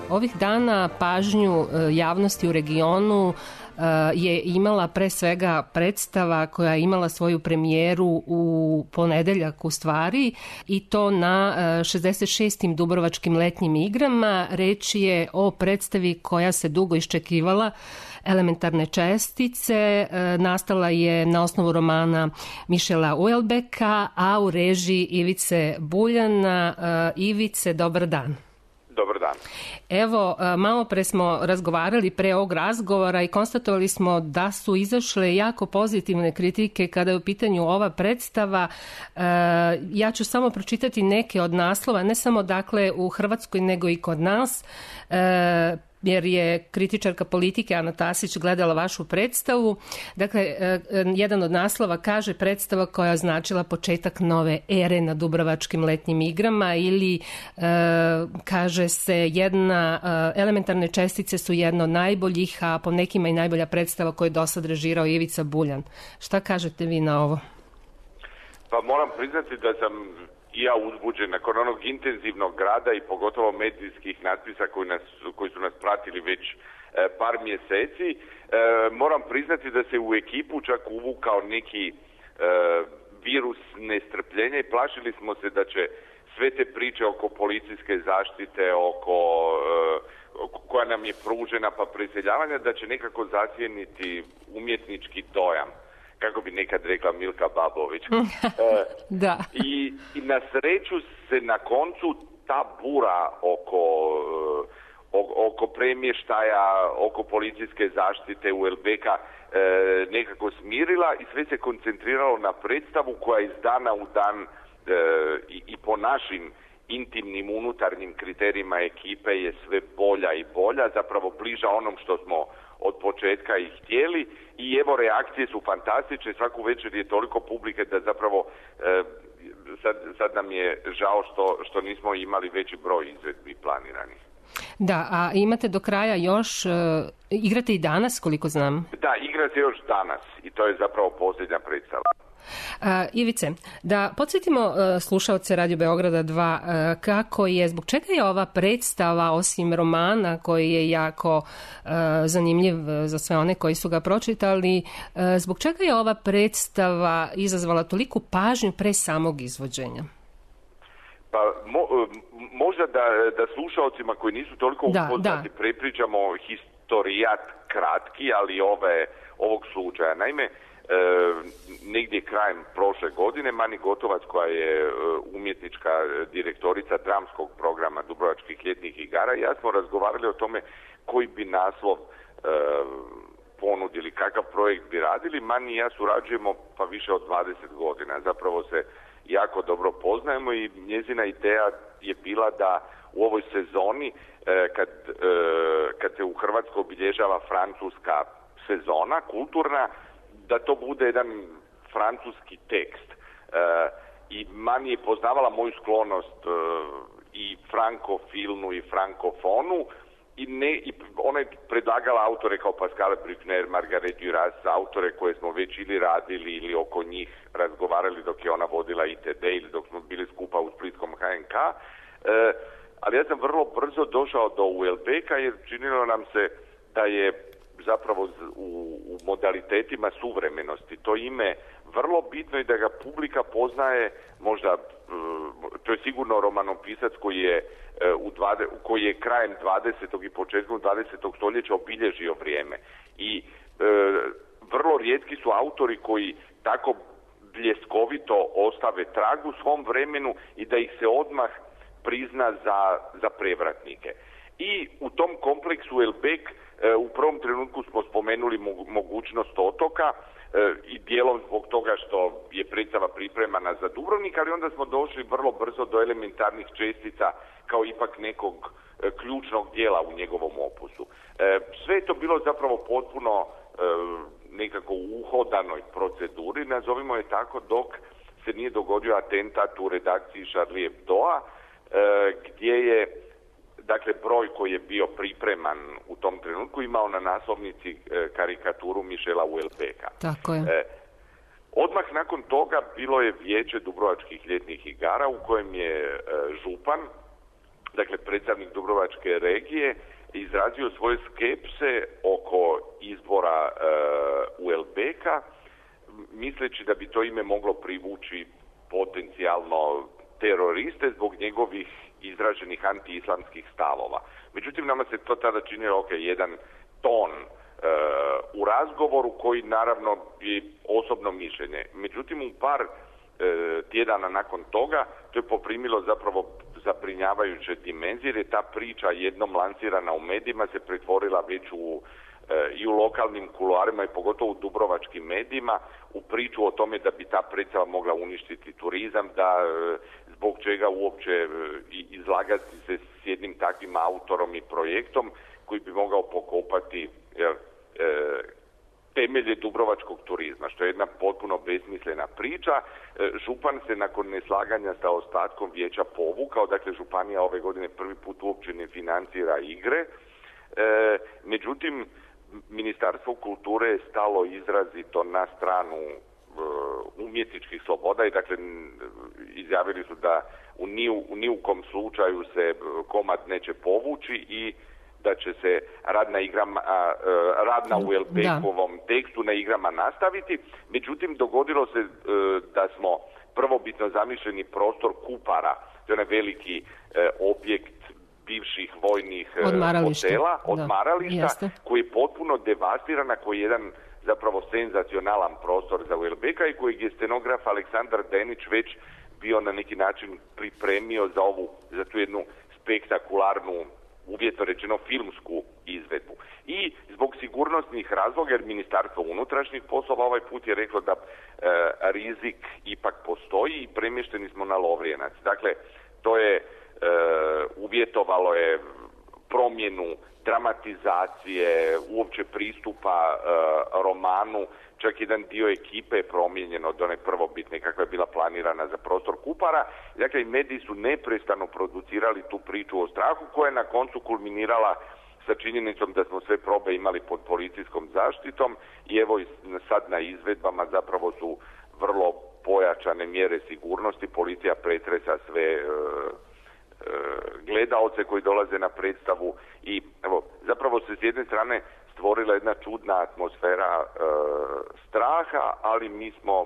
Ovih dana pažnju javnosti u regionu je imala pre svega predstava koja je imala svoju premijeru u ponedeljak u stvari, i to na šezdeset šestim Dubrovačkim letnjim igrama. Reč je o predstavi koja se dugo iščekivala, Elementarne čestice. Nastala je na osnovu romana Mišela Uelbeka, a u režiji Ivice Buljana. Ivice, dobar dan. Dobar dan. Evo, malo pre smo razgovarali pre ovog razgovora i konstatovali smo da su izašle jako pozitivne kritike kada je u pitanju ova predstava. Ja ću samo pročitati neke od naslova, ne samo dakle u Hrvatskoj, nego i kod nas, jer je kritičarka politike Ana Tasić gledala vašu predstavu. Dakle, jedan od naslova kaže predstava koja je značila početak nove ere na Dubrovačkim letnjim igrama, ili kaže se jedna Elementarne čestice su jedna od najboljih, a po nekima i najbolja predstava koju je do sad režirao Ivica Buljan. Šta kažete vi na ovo? Pa moram priznati da sam i ja uzbuđen nakon onog intenzivnog rada i pogotovo medijskih natpisa koji, nas, koji su nas pratili već e, par mjeseci. E, moram priznati da se u ekipu čak uvukao neki e, virus nestrpljenja i plašili smo se da će sve te priče oko policijske zaštite, oko e, koja nam je pružena, pa preseljavanja, da će nekako zasjeniti umjetnički dojam, kako bi nekad rekla Milka Babović. E, da. I, I na sreću se na koncu ta bura oko, oko premještaja, oko policijske zaštite u el be ka e, nekako smirila i sve se koncentriralo na predstavu koja iz dana u dan e, i, i po našim intimnim unutarnjim kriterijima ekipe je sve bolja i bolja, zapravo bliža onom što smo od početka i htjeli i evo reakcije su fantastične, svaku večer je toliko publike da zapravo e, sad, sad nam je žao što, što nismo imali veći broj izvedbi planiranih. Da, a imate do kraja još, uh, igrate i danas koliko znam? Da, igra se još danas i to je zapravo posljednja predstava. Uh, Ivice, da podsjetimo uh, slušaoce Radio Beograda dva uh, kako je, zbog čega je ova predstava osim romana koji je jako uh, zanimljiv za sve one koji su ga pročitali, uh, zbog čega je ova predstava izazvala toliku pažnju pre samog izvođenja? Pa mo, možda da, da slušaocima koji nisu toliko da, upoznati da. prepričamo historijat kratki, ali ove, ovog slučaja. Naime, e, negdje krajem prošle godine Mani Gotovac, koja je umjetnička direktorica dramskog programa Dubrovačkih ljetnih igara, i ja smo razgovarali o tome koji bi naslov e, ponudili, kakav projekt bi radili. Mani i ja surađujemo pa više od dvadeset godina. Zapravo se jako dobro poznajemo i njezina ideja je bila da u ovoj sezoni, kad, kad se u Hrvatskoj obilježava francuska sezona, kulturna, da to bude jedan francuski tekst. I Mani je poznavala moju sklonost i frankofilnu i frankofonu, i, ne, i ona je predlagala autore kao Pascal Bruckner, Margaret Duras, autore koje smo već ili radili ili oko njih razgovarali dok je ona vodila i te de ili dok smo bili skupa u splitskom ha en ka. E, ali ja sam vrlo brzo došao do u el be ka jer činilo nam se da je zapravo u, u modalitetima suvremenosti to ime vrlo bitno i da ga publika poznaje, možda to je sigurno romanopisac koji je u dvade, koji je krajem dvadesetog i početkom dvadesetog stoljeća obilježio vrijeme. I e, vrlo rijetki su autori koji tako bljeskovito ostave trag u svom vremenu i da ih se odmah prizna za, za prevratnike. I u tom kompleksu Elbek e, u prvom trenutku smo spomenuli mogućnost otoka e, i dijelom zbog toga što je predstava pripremana za Dubrovnik, ali onda smo došli vrlo brzo do elementarnih čestica kao ipak nekog e, ključnog dijela u njegovom opusu. E, sve je to bilo zapravo potpuno e, nekako u uhodanoj proceduri, nazovimo je tako, dok se nije dogodio atentat u redakciji Charlie Hebdoa, e, gdje je dakle broj koji je bio pripreman u tom trenutku imao na naslovnici e, karikaturu Michela Houellebecqa. Tako je. E, odmah nakon toga bilo je vijeće Dubrovačkih ljetnih igara u kojem je e, župan, dakle predstavnik Dubrovačke regije, izrazio svoje skepse oko izbora e, Houellebecqa, misleći da bi to ime moglo privući potencijalno teroriste zbog njegovih izraženih antiislamskih stavova. Međutim, nama se to tada činilo ok, jedan ton e, u razgovoru koji naravno je osobno mišljenje. Međutim, u par e, tjedana nakon toga to je poprimilo zapravo zabrinjavajuće dimenzije jer je ta priča jednom lansirana u medijima se pretvorila već u e, i u lokalnim kuloarima i pogotovo u dubrovačkim medijima u priču o tome da bi ta predstava mogla uništiti turizam, da e, zbog čega uopće e, izlagati se s jednim takvim autorom i projektom koji bi mogao pokopati e, e, temelje dubrovačkog turizma, što je jedna potpuno besmislena priča. E, župan se nakon neslaganja sa ostatkom vijeća povukao, dakle županija ove godine prvi put uopće ne financira igre. E, međutim, Ministarstvo kulture je stalo izrazito na stranu e, umjetničkih sloboda i dakle izjavili su da u ni u, ni u kom slučaju se komad neće povući i da će se rad na igrama, a, rad na Houellebecqovom tekstu na igrama nastaviti. Međutim, dogodilo se e, da smo prvobitno zamišljeni prostor Kupara, to je onaj veliki e, objekt bivših vojnih odmarališta. hotela, odmarališta, da, koji je potpuno devastiran, koji je jedan zapravo senzacionalan prostor za Houellebecqa i kojeg je scenograf Aleksandar Denić već bio na neki način pripremio za ovu, za tu jednu spektakularnu uvjetno rečeno filmsku izvedbu. I zbog sigurnosnih razloga, jer Ministarstvo unutrašnjih poslova ovaj put je reklo da e, rizik ipak postoji i premješteni smo na Lovrijenac. Dakle, to je e, uvjetovalo je promjenu dramatizacije, uopće pristupa e, romanu, čak jedan dio ekipe je promijenjen od one prvobitne kakva je bila planirana za prostor Kupara. Dakle, i mediji su neprestano producirali tu priču o strahu koja je na koncu kulminirala sa činjenicom da smo sve probe imali pod policijskom zaštitom i evo sad na izvedbama zapravo su vrlo pojačane mjere sigurnosti. Policija pretresa sve e, e, gledaoce koji dolaze na predstavu i evo, zapravo se s jedne strane stvorila jedna čudna atmosfera e, straha, ali mi smo e,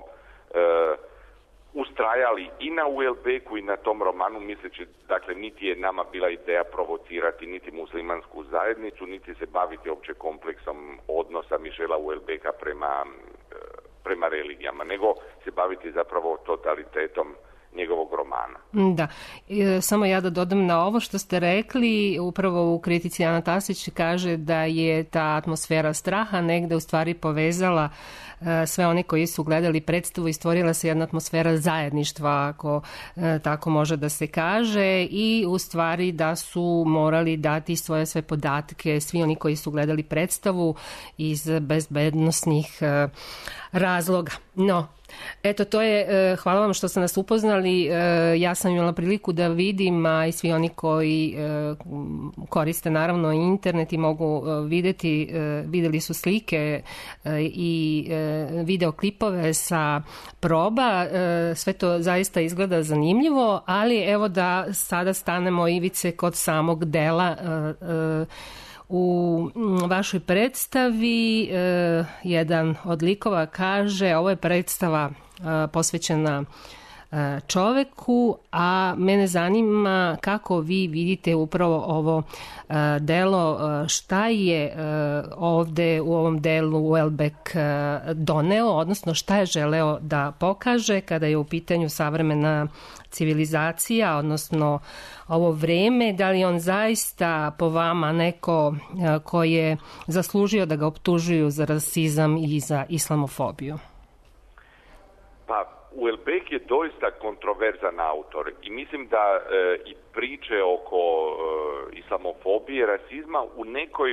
ustrajali i na U L B-ku i na tom romanu, misleći, dakle, niti je nama bila ideja provocirati niti muslimansku zajednicu, niti se baviti opće kompleksom odnosa Mišela U L B-ka prema, prema religijama, nego se baviti zapravo totalitetom njegovog romana. Da, e, samo ja da dodam na ovo što ste rekli, upravo u kritici Ana Tasić kaže da je ta atmosfera straha negde u stvari povezala e, sve oni koji su gledali predstavu i stvorila se jedna atmosfera zajedništva, ako e, tako može da se kaže, i u stvari da su morali dati svoje sve podatke, svi oni koji su gledali predstavu iz bezbednosnih e, razloga. No, eto, to je, hvala vam što ste nas upoznali, ja sam imala priliku da vidim, a i svi oni koji koriste naravno internet i mogu videti, videli su slike i videoklipove sa proba, sve to zaista izgleda zanimljivo, ali evo da sada stanemo ivice kod samog dela. U vašoj predstavi eh, jedan od likova kaže ovo je predstava eh, posvećena eh, čoveku, a mene zanima kako vi vidite upravo ovo eh, delo, eh, šta je eh, ovde u ovom delu Houellebecq eh, doneo, odnosno šta je želeo da pokaže kada je u pitanju savremena civilizacija, odnosno ovo vreme, da li on zaista po vama neko ko je zaslužio da ga optužuju za rasizam i za islamofobiju? Pa, Houellebecq je doista kontroverzan autor i mislim da e, i priče oko e, islamofobije, rasizma u nekoj,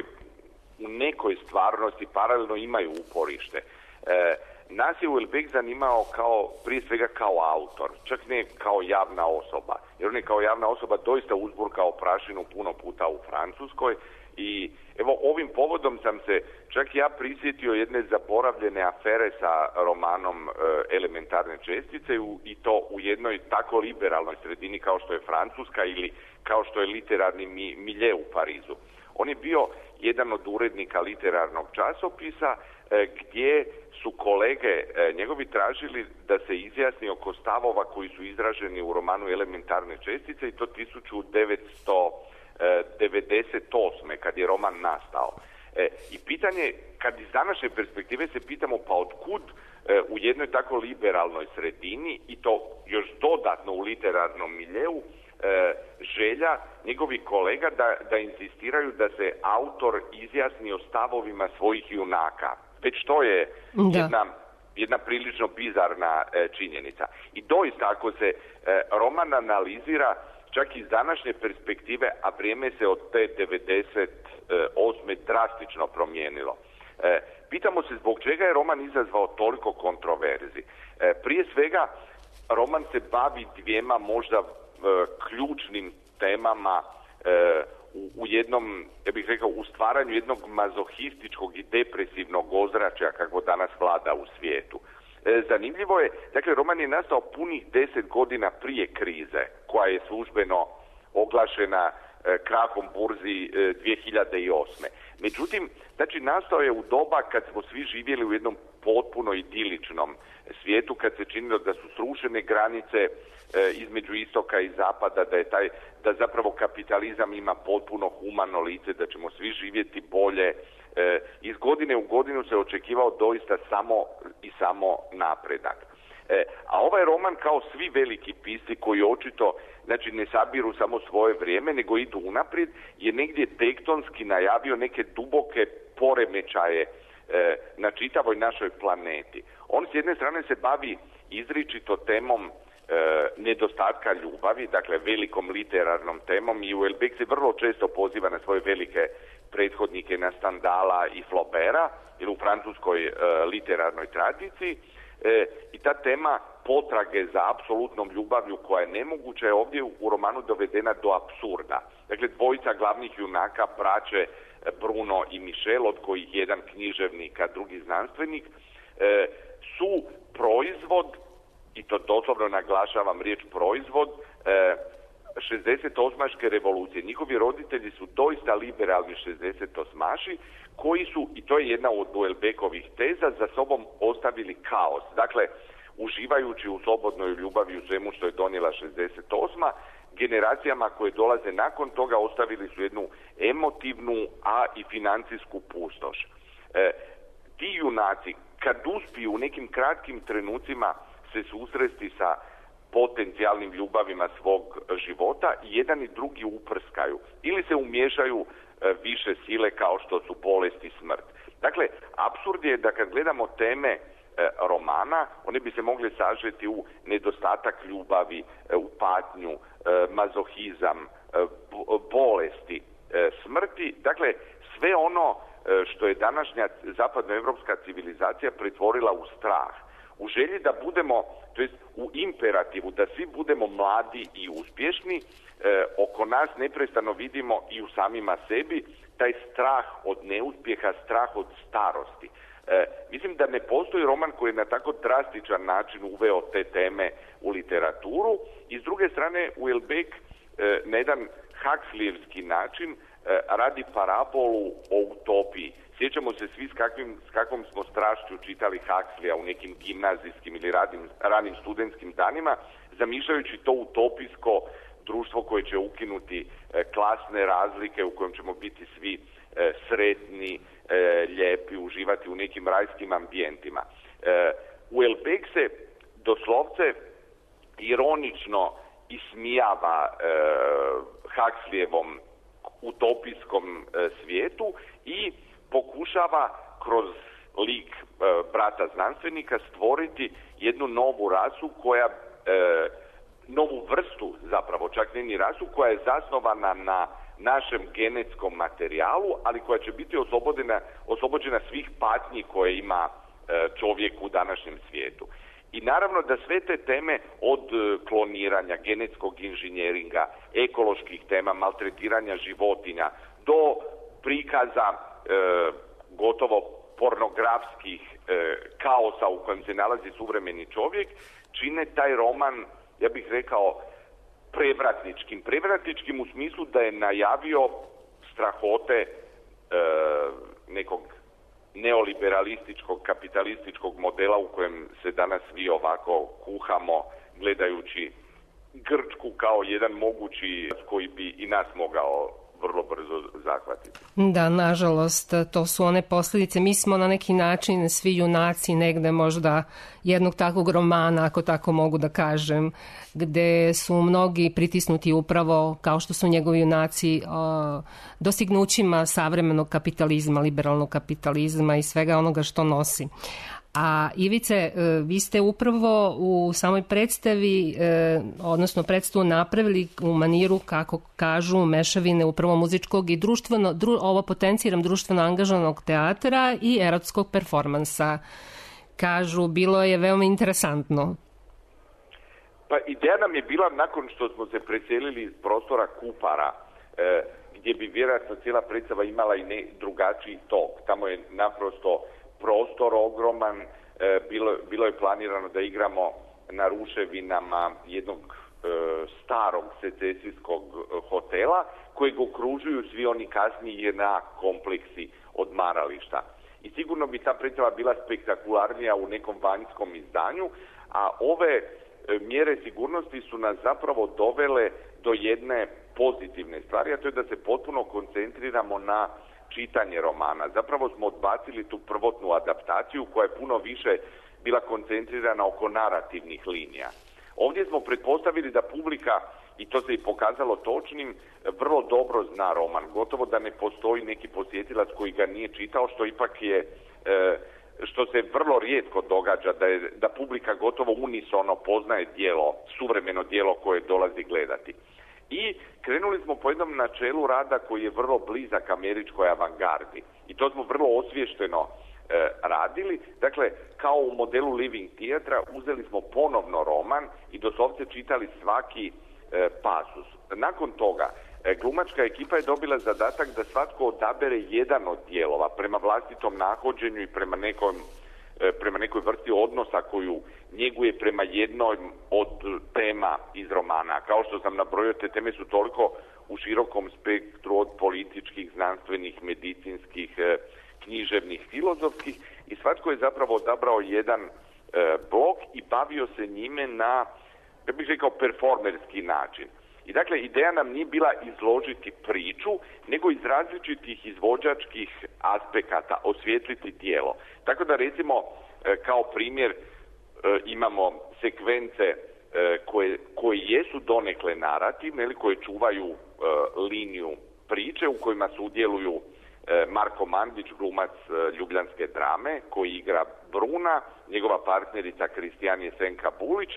u nekoj stvarnosti paralelno imaju uporište. E, Nas je Houellebecq zanimao kao, prije svega kao autor, čak ne kao javna osoba, jer on je kao javna osoba doista uzburkao prašinu puno puta u Francuskoj i evo ovim povodom sam se čak ja prisjetio jedne zaboravljene afere sa romanom e, Elementarne čestice u, i to u jednoj tako liberalnoj sredini kao što je Francuska ili kao što je literarni mi, milje u Parizu. On je bio jedan od urednika literarnog časopisa e, gdje su kolege e, njegovi tražili da se izjasni oko stavova koji su izraženi u romanu Elementarne čestice i to tisuću devetsto devedeset osme kad je roman nastao. E, I pitanje, kad iz današnje perspektive se pitamo pa otkud e, u jednoj tako liberalnoj sredini i to još dodatno u literarnom miljeu e, želja njegovih kolega da, da insistiraju da se autor izjasni o stavovima svojih junaka. Već to je jedna, jedna prilično bizarna e, činjenica. I doista ako se e, roman analizira čak iz današnje perspektive, a vrijeme se od te devedeset osme drastično promijenilo. E, pitamo se zbog čega je roman izazvao toliko kontroverzi. E, prije svega, roman se bavi dvijema možda e, ključnim temama e, u, u jednom, ja bih rekao, u stvaranju jednog mazohističkog i depresivnog ozračja kako danas vlada u svijetu. E, zanimljivo je, dakle, roman je nastao punih deset godina prije krize, koja je službeno oglašena e, krahom burzi e, dvije hiljade osme. Međutim, znači, nastao je u doba kad smo svi živjeli u jednom potpuno idiličnom svijetu, kad se činilo da su srušene granice e, između istoka i zapada, da je taj, da zapravo kapitalizam ima potpuno humano lice, da ćemo svi živjeti bolje. E, iz godine u godinu se očekivao doista samo i samo napredak. E, a ovaj roman, kao svi veliki pisci koji očito, znači, ne sabiru samo svoje vrijeme, nego idu unaprijed, je negdje tektonski najavio neke duboke poremećaje e, na čitavoj našoj planeti. On s jedne strane se bavi izričito temom e, nedostatka ljubavi, dakle velikom literarnom temom, i Houellebecq se vrlo često poziva na svoje velike prethodnike, na Stendhala i Flaubera, ili u francuskoj e, literarnoj tradiciji. E, I ta tema potrage za apsolutnom ljubavlju koja je nemoguća je ovdje u romanu dovedena do apsurda. Dakle, dvojica glavnih junaka, braće Bruno i Michel, od kojih jedan književnik, a drugi znanstvenik, e, su proizvod, i to doslovno naglašavam riječ proizvod, e, šezdesetosmaške revolucije. Njihovi roditelji su doista liberalni šezdesetosmaši koji su, i to je jedna od Houellebecqovih teza, za sobom ostavili kaos. Dakle, uživajući u slobodnoj ljubavi u svemu što je donijela šezdeset osma, generacijama koje dolaze nakon toga ostavili su jednu emotivnu, a i financijsku pustoš. E, ti junaci, kad uspiju u nekim kratkim trenucima se susresti sa potencijalnim ljubavima svog života, jedan i drugi uprskaju ili se umiješaju e, više sile kao što su bolest i smrt. Dakle, apsurd je da kad gledamo teme e, romana, one bi se mogli sažeti u nedostatak ljubavi, e, u patnju, e, mazohizam, e, bolesti, e, smrti. Dakle, sve ono e, što je današnja zapadnoevropska civilizacija pretvorila u strah, u želji da budemo, to jest u imperativu da svi budemo mladi i uspješni, e, oko nas neprestano vidimo i u samima sebi taj strah od neuspjeha, strah od starosti. E, mislim da ne postoji roman koji je na tako drastičan način uveo te teme u literaturu, i s druge strane Houellebecq e, na jedan Huxleyevski način e, radi parabolu o utopiji. Sjećamo se svi s, kakvim, s kakvom smo strašću čitali Huxleya u nekim gimnazijskim ili radim, ranim studentskim danima, zamišljajući to utopijsko društvo koje će ukinuti e, klasne razlike, u kojem ćemo biti svi e, sretni, e, lijepi, uživati u nekim rajskim ambijentima. E, Houellebecq se doslovce ironično ismijava e, Huxleyevom utopijskom e, svijetu i pokušava kroz lik e, brata znanstvenika stvoriti jednu novu rasu koja, e, novu vrstu zapravo, čak ne ni rasu, koja je zasnovana na našem genetskom materijalu, ali koja će biti oslobođena, oslobođena svih patnji koje ima e, čovjek u današnjem svijetu. I naravno da sve te teme od kloniranja, genetskog inženjeringa, ekoloških tema, maltretiranja životinja, do prikaza e, gotovo pornografskih e, kaosa u kojem se nalazi suvremeni čovjek, čine taj roman, ja bih rekao, prevratničkim. Prevratničkim u smislu da je najavio strahote e, nekog neoliberalističkog, kapitalističkog modela u kojem se danas svi ovako kuhamo, gledajući Grčku kao jedan mogući koji bi i nas mogao vrlo brzo zahvatiti. Da, nažalost, to su one posljedice. Mi smo na neki način svi junaci negde možda jednog takvog romana, ako tako mogu da kažem, gde su mnogi pritisnuti upravo, kao što su njegovi junaci, dostignućima savremenog kapitalizma, liberalnog kapitalizma i svega onoga što nosi. A Ivice, vi ste upravo u samoj predstavi, odnosno predstavu napravili u maniru, kako kažu, mešavine upravo muzičkog i društveno, dru, ovo potenciram, društveno angažovanog teatra i erotskog performansa. Kažu, bilo je veoma interesantno. Pa ideja nam je bila, nakon što smo se preselili iz prostora Kupara, eh, gdje bi vjerojatno cijela predstava imala i ne drugačiji tok. Tamo je naprosto prostor ogroman, e, bilo, bilo je planirano da igramo na ruševinama jednog e, starog secesijskog hotela kojeg okružuju svi oni kasniji J N A kompleksi odmarališta. I sigurno bi ta predstava bila spektakularnija u nekom vanjskom izdanju, a ove e, mjere sigurnosti su nas zapravo dovele do jedne pozitivne stvari, a to je da se potpuno koncentriramo na čitanje romana. Zapravo smo odbacili tu prvotnu adaptaciju koja je puno više bila koncentrirana oko narativnih linija. Ovdje smo pretpostavili da publika, i to se i pokazalo točnim, vrlo dobro zna roman. Gotovo da ne postoji neki posjetilac koji ga nije čitao, što ipak je, što se vrlo rijetko događa, da, je, da publika gotovo unisono poznaje djelo, suvremeno djelo koje dolazi gledati. I krenuli smo po jednom načelu rada koji je vrlo blizak američkoj avangardi. I to smo vrlo osvješteno e, radili. Dakle, kao u modelu Living Theatra uzeli smo ponovno roman i doslovce čitali svaki e, pasus. Nakon toga, e, glumačka ekipa je dobila zadatak da svatko odabere jedan od dijelova prema vlastitom nahođenju i prema nekom prema nekoj vrsti odnosa koju njeguje prema jednoj od tema iz romana. Kao što sam nabrojio, te teme su toliko u širokom spektru od političkih, znanstvenih, medicinskih, književnih, filozofskih i svatko je zapravo odabrao jedan e, blok i bavio se njime na, ja bih rekao, performerski način. I dakle, ideja nam nije bila izložiti priču, nego iz različitih izvođačkih aspekata osvijetliti djelo. Tako da, recimo, kao primjer imamo sekvence koje, koje jesu donekle narativne ili koje čuvaju liniju priče, u kojima sudjeluju Marko Mandić, glumac ljubljanske drame, koji igra Bruna, njegova partnerica Kristijan Jesenka Bulić.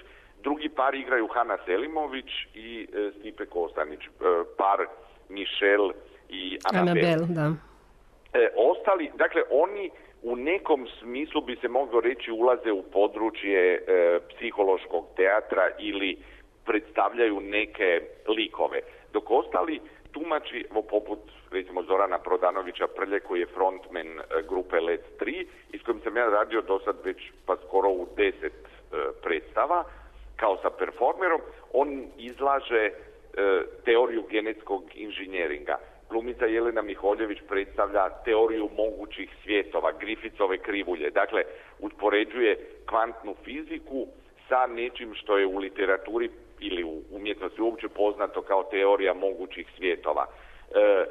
Drugi par igraju Hana Selimović i e, Stipe Kostanić, e, par Mišel i Anabel. Anabel, da. E, ostali, dakle, oni u nekom smislu bi se moglo reći ulaze u područje e, psihološkog teatra ili predstavljaju neke likove. Dok ostali tumači, poput recimo Zorana Prodanovića Prlje, koji je frontman e, grupe Let tri, i s kojim sam ja radio do sad već pa skoro u deset e, predstava, kao sa performerom, on izlaže e, teoriju genetskog inženjeringa. Glumica Jelena Miholjević predstavlja teoriju mogućih svjetova, Griffithove krivulje. Dakle, uspoređuje kvantnu fiziku sa nečim što je u literaturi ili u umjetnosti uopće poznato kao teorija mogućih svjetova. E,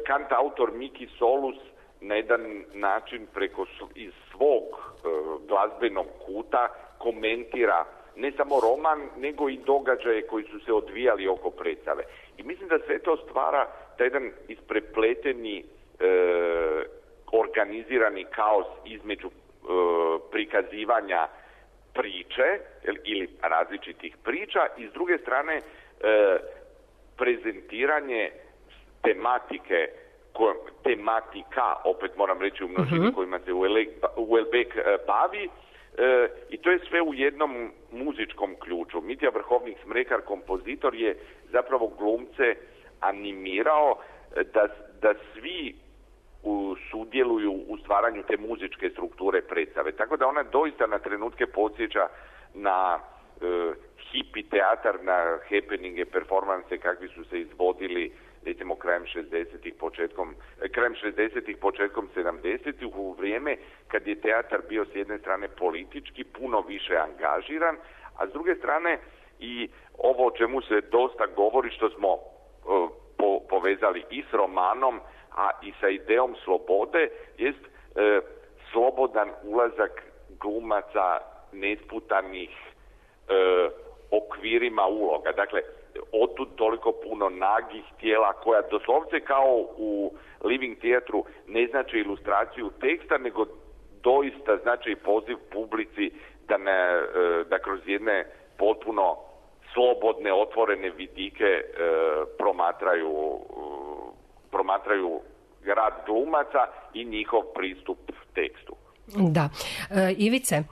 Kant autor Miki Solus na jedan način preko iz svog e, glazbenog kuta komentira ne samo roman, nego i događaje koji su se odvijali oko predstave. I mislim da sve to stvara taj jedan isprepleteni, e, organizirani kaos između e, prikazivanja priče ili različitih priča i s druge strane e, prezentiranje tematike, ko, tematika, opet moram reći u množini uh-huh. kojima se Houellebecq bavi, E, i to je sve u jednom muzičkom ključu. Mitja Vrhovnik Smrekar, kompozitor, je zapravo glumce animirao da, da svi u, sudjeluju u stvaranju te muzičke strukture predstave. Tako da ona doista na trenutke podsjeća na e, hipi teatar, na happeninge, performanse kakvi su se izvodili recimo krajem šezdesetih, početkom, krajem šezdesetih, početkom sedamdesetih, u vrijeme kad je teatar bio s jedne strane politički puno više angažiran, a s druge strane i ovo o čemu se dosta govori, što smo uh, po, povezali i s romanom, a i sa idejom slobode, jest uh, slobodan ulazak glumaca nesputanih uh, okvirima uloga. Dakle, otud toliko puno nagih tijela koja doslovce kao u Living Theatru ne znači ilustraciju teksta, nego doista znači poziv publici da, ne, da kroz jedne potpuno slobodne, otvorene vidike e, promatraju, promatraju rad glumaca i njihov pristup tekstu. Da. E, Ivice, e,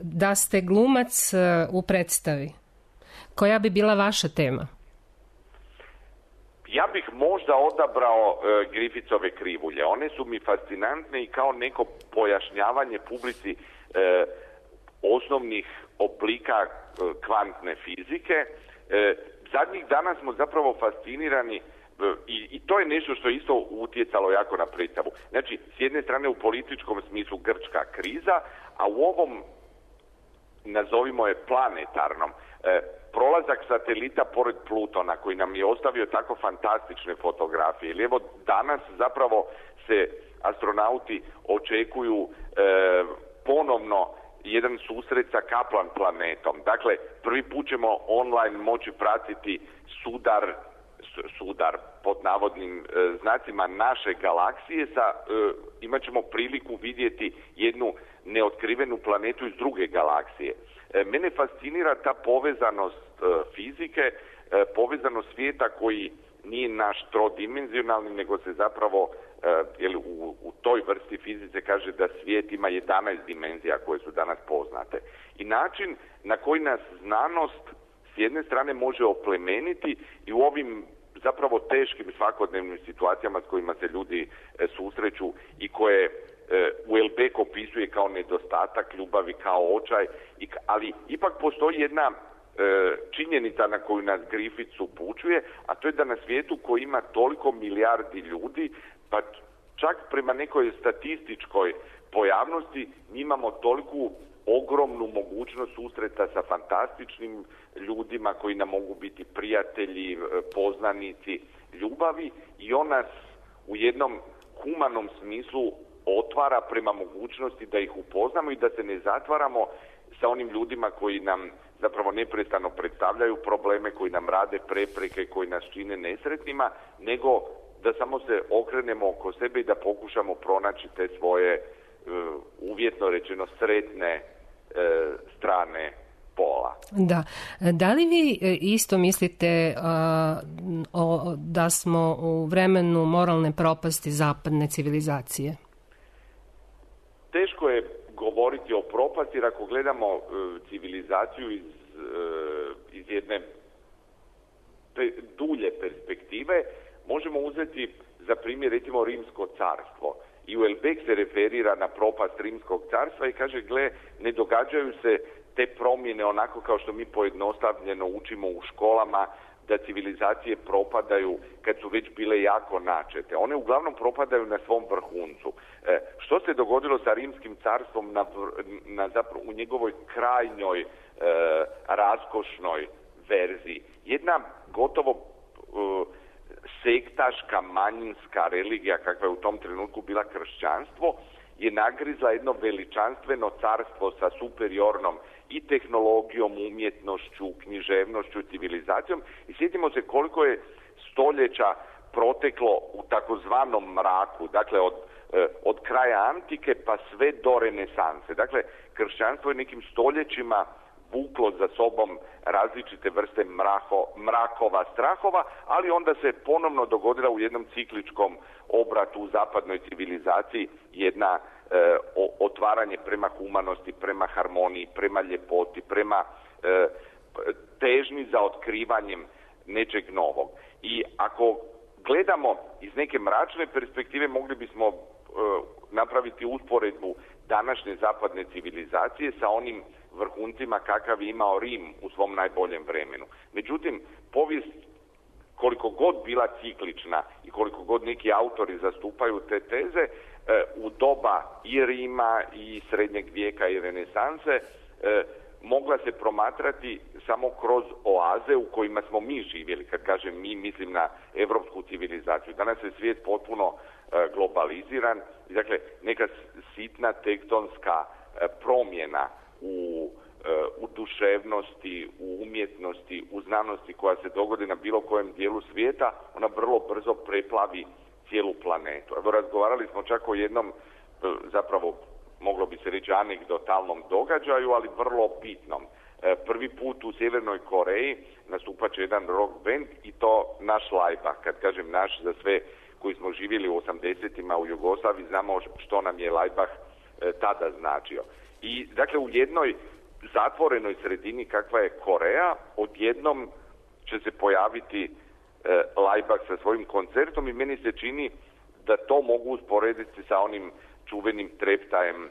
da ste glumac e, u predstavi, koja bi bila vaša tema? Ja bih možda odabrao e, Griffithove krivulje. One su mi fascinantne i kao neko pojašnjavanje publici e, osnovnih oblika e, kvantne fizike. E, zadnjih dana smo zapravo fascinirani e, i, i to je nešto što je isto utjecalo jako na predstavu. Znači, s jedne strane u političkom smislu grčka kriza, a u ovom, nazovimo je planetarnom, e, prolazak satelita pored Plutona koji nam je ostavio tako fantastične fotografije. Ili evo danas zapravo se astronauti očekuju e, ponovno jedan susret sa Kaplan planetom. Dakle, prvi put ćemo online moći pratiti sudar, sudar pod navodnim e, znacima naše galaksije, sa, e, imat ćemo priliku vidjeti jednu neotkrivenu planetu iz druge galaksije. E, mene fascinira ta povezanost e, fizike, e, povezanost svijeta koji nije naš trodimenzionalni, nego se zapravo e, jel, u, u toj vrsti fizice kaže da svijet ima jedanaest dimenzija koje su danas poznate. I način na koji nas znanost s jedne strane može oplemeniti i u ovim zapravo teškim svakodnevnim situacijama s kojima se ljudi e, susreću i koje e, Houellebecq opisuje kao nedostatak ljubavi, kao očaj, i, ali ipak postoji jedna e, činjenica na koju nas Griffiths upućuje, a to je da na svijetu koji ima toliko milijardi ljudi, pa čak prema nekoj statističkoj pojavnosti, mi imamo toliku ogromnu mogućnost susreta sa fantastičnim ljudima koji nam mogu biti prijatelji, poznanici, ljubavi, i on nas u jednom humanom smislu otvara prema mogućnosti da ih upoznamo i da se ne zatvaramo sa onim ljudima koji nam zapravo neprestano predstavljaju probleme, koji nam rade prepreke, koji nas čine nesretnima, nego da samo se okrenemo oko sebe i da pokušamo pronaći te svoje uvjetno rečeno sretne strane pola. Da. Da li vi isto mislite a, o, da smo u vremenu moralne propasti zapadne civilizacije? Teško je govoriti o propasti, jer ako gledamo e, civilizaciju iz, e, iz jedne pe, dulje perspektive, možemo uzeti za primjer recimo Rimsko carstvo. I Houellebecq se referira na propast Rimskog carstva i kaže, gle, ne događaju se te promjene onako kao što mi pojednostavljeno učimo u školama, da civilizacije propadaju kad su već bile jako načete. One uglavnom propadaju na svom vrhuncu. E, što se dogodilo sa Rimskim carstvom na, na zapravo, u njegovoj krajnjoj e, raskošnoj verziji? Jedna gotovo e, sektaška, manjinska religija, kakva je u tom trenutku bila kršćanstvo, je nagrizla jedno veličanstveno carstvo sa superiornom i tehnologijom, umjetnošću, književnošću, civilizacijom, i sjetimo se koliko je stoljeća proteklo u takozvanom mraku, dakle od, od kraja antike pa sve do renesanse. Dakle, kršćanstvo je nekim stoljećima vuklo za sobom različite vrste mraho, mrakova, strahova, ali onda se ponovno dogodila u jednom cikličkom obratu u zapadnoj civilizaciji jedna e, o, otvaranje prema humanosti, prema harmoniji, prema ljepoti, prema e, težnji za otkrivanjem nečeg novog. I ako gledamo iz neke mračne perspektive, mogli bismo e, napraviti usporedbu današnje zapadne civilizacije sa onim vrhuncima kakav je imao Rim u svom najboljem vremenu. Međutim, povijest, koliko god bila ciklična i koliko god neki autori zastupaju te teze, u doba i Rima i srednjeg vijeka i renesanse mogla se promatrati samo kroz oaze u kojima smo mi živjeli. Kad kažem mi, mislim na evropsku civilizaciju. Danas je svijet potpuno globaliziran i dakle neka sitna tektonska promjena u, u duševnosti, u umjetnosti, u znanosti koja se dogodi na bilo kojem dijelu svijeta, ona vrlo brzo preplavi cijelu planetu. Evo, razgovarali smo čak o jednom, zapravo moglo bi se reći anegdotalnom događaju, ali vrlo bitnom. Prvi put u Sjevernoj Koreji nastupat će jedan rock band i to naš Laibach. Kad kažem naš, za sve koji smo živjeli u osamdesetima u Jugoslaviji, znamo što nam je Laibach tada značio. I dakle u jednoj zatvorenoj sredini kakva je Koreja, odjednom će se pojaviti e, Laibach sa svojim koncertom i meni se čini da to mogu usporediti sa onim čuvenim treptajem e,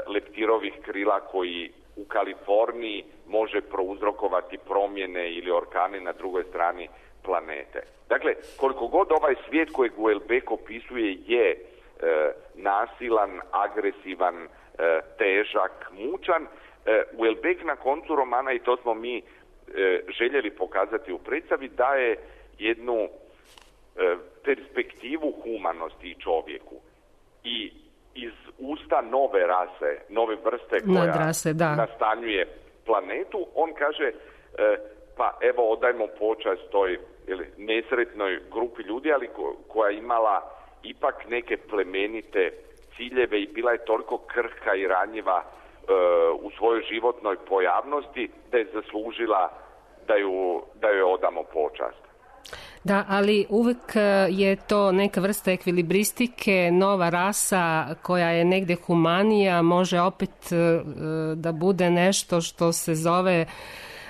leptirovih krila koji u Kaliforniji može prouzrokovati promjene ili orkane na drugoj strani planete. Dakle, koliko god ovaj svijet kojeg Houellebecq opisuje je e, nasilan, agresivan, e, težak, mučan, e, Houellebecq na koncu romana, i to smo mi e, željeli pokazati u predstavi, daje jednu e, perspektivu humanosti i čovjeku. I iz usta nove rase, nove vrste koja Nadrase, da. nastanjuje planetu, on kaže e, pa evo odajmo počast toj ili, nesretnoj grupi ljudi, ali ko, koja imala ipak neke plemenite ciljeve i bila je toliko krhka i ranjiva e, u svojoj životnoj pojavnosti da je zaslužila da ju, da joj odamo počast. Da, ali uvek je to neka vrsta ekvilibristike, nova rasa koja je negde humanija, može opet da bude nešto što se zove,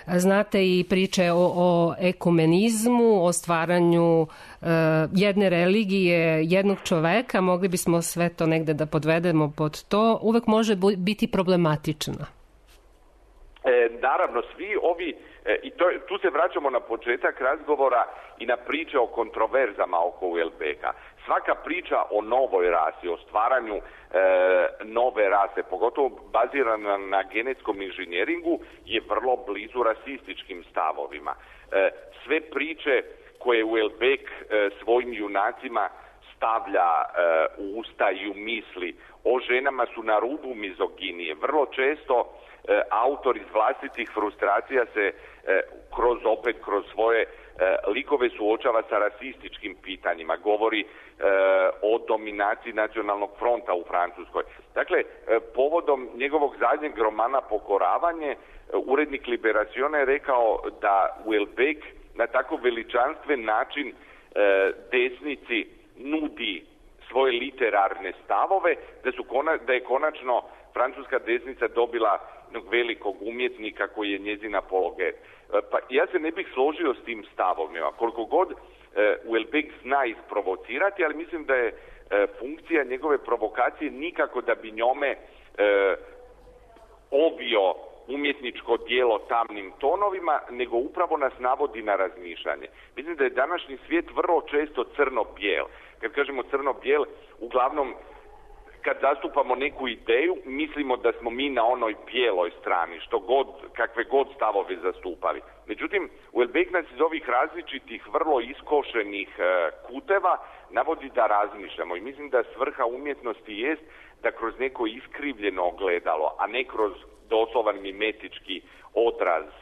znate, i priče o, o ekumenizmu, o stvaranju uh, jedne religije, jednog čoveka, mogli bismo sve to negde da podvedemo pod to, uvek može biti problematično. E, naravno, svi ovi, e, i to, tu se vraćamo na početak razgovora i na priče o kontroverzama oko Houellebecqa. Svaka priča o novoj rasi, o stvaranju e, nove rase, pogotovo bazirana na genetskom inženjeringu, je vrlo blizu rasističkim stavovima. E, sve priče koje Houellebecq e, svojim junacima stavlja e, u usta i u misli o ženama su na rubu mizoginije. Vrlo često e, autor iz vlastitih frustracija se e, kroz opet kroz svoje e, likove suočava sa rasističkim pitanjima. Govori e, o dominaciji nacionalnog fronta u Francuskoj. Dakle, e, povodom njegovog zadnjeg romana Pokoravanje, e, urednik Liberaciona je rekao da Houellebecq na tako veličanstven način e, desnici nudi svoje literarne stavove, da, su kona, da je konačno francuska desnica dobila jednog velikog umjetnika koji je njezin apologet. Pa ja se ne bih složio s tim stavovima. Koliko god e, Houellebecq zna isprovocirati, ali mislim da je e, funkcija njegove provokacije nikako da bi njome e, ovio umjetničko dijelo tamnim tonovima, nego upravo nas navodi na razmišljanje. Mislim da je današnji svijet vrlo često crno-bijel. Kad kažemo crno-bijel, uglavnom kad zastupamo neku ideju, mislimo da smo mi na onoj bijeloj strani, što god, kakve god stavove zastupali. Međutim, Houellebecq nas iz ovih različitih, vrlo iskošenih e, kuteva navodi da razmišljamo. I mislim da svrha umjetnosti jest da kroz neko iskrivljeno ogledalo, a ne kroz doslovan mimetički odraz e,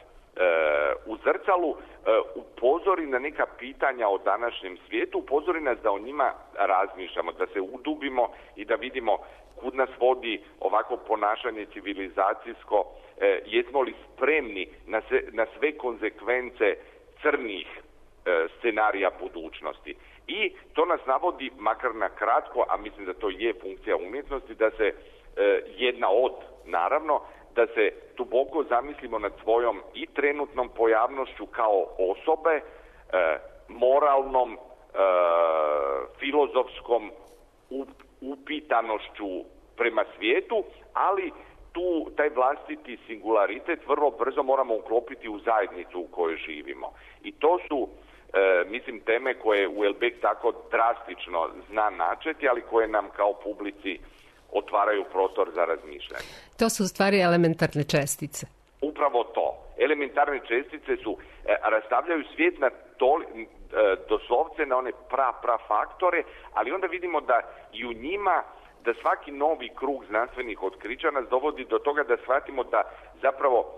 u zrcalu, e, upozori na neka pitanja o današnjem svijetu, upozori nas da o njima razmišljamo, da se udubimo i da vidimo kud nas vodi ovako ponašanje civilizacijsko, e, jesmo li spremni na, se, na sve konzekvence crnih e, scenarija budućnosti. I to nas navodi, makar na kratko, a mislim da to je funkcija umjetnosti, da se e, jedna od, naravno, da se duboko zamislimo nad svojom i trenutnom pojavnošću kao osobe, e, moralnom, e, filozofskom up, upitanošću prema svijetu, ali tu taj vlastiti singularitet vrlo brzo moramo uklopiti u zajednicu u kojoj živimo. I to su, e, mislim, teme koje Houellebecq tako drastično zna načeti, ali koje nam kao publici otvaraju prostor za razmišljanje. To su u stvari elementarne čestice. Upravo to. Elementarne čestice su, e, rastavljaju svijet na toli, e, doslovce na one pra, pra faktore, ali onda vidimo da i u njima, da svaki novi krug znanstvenih otkrića nas dovodi do toga da shvatimo da zapravo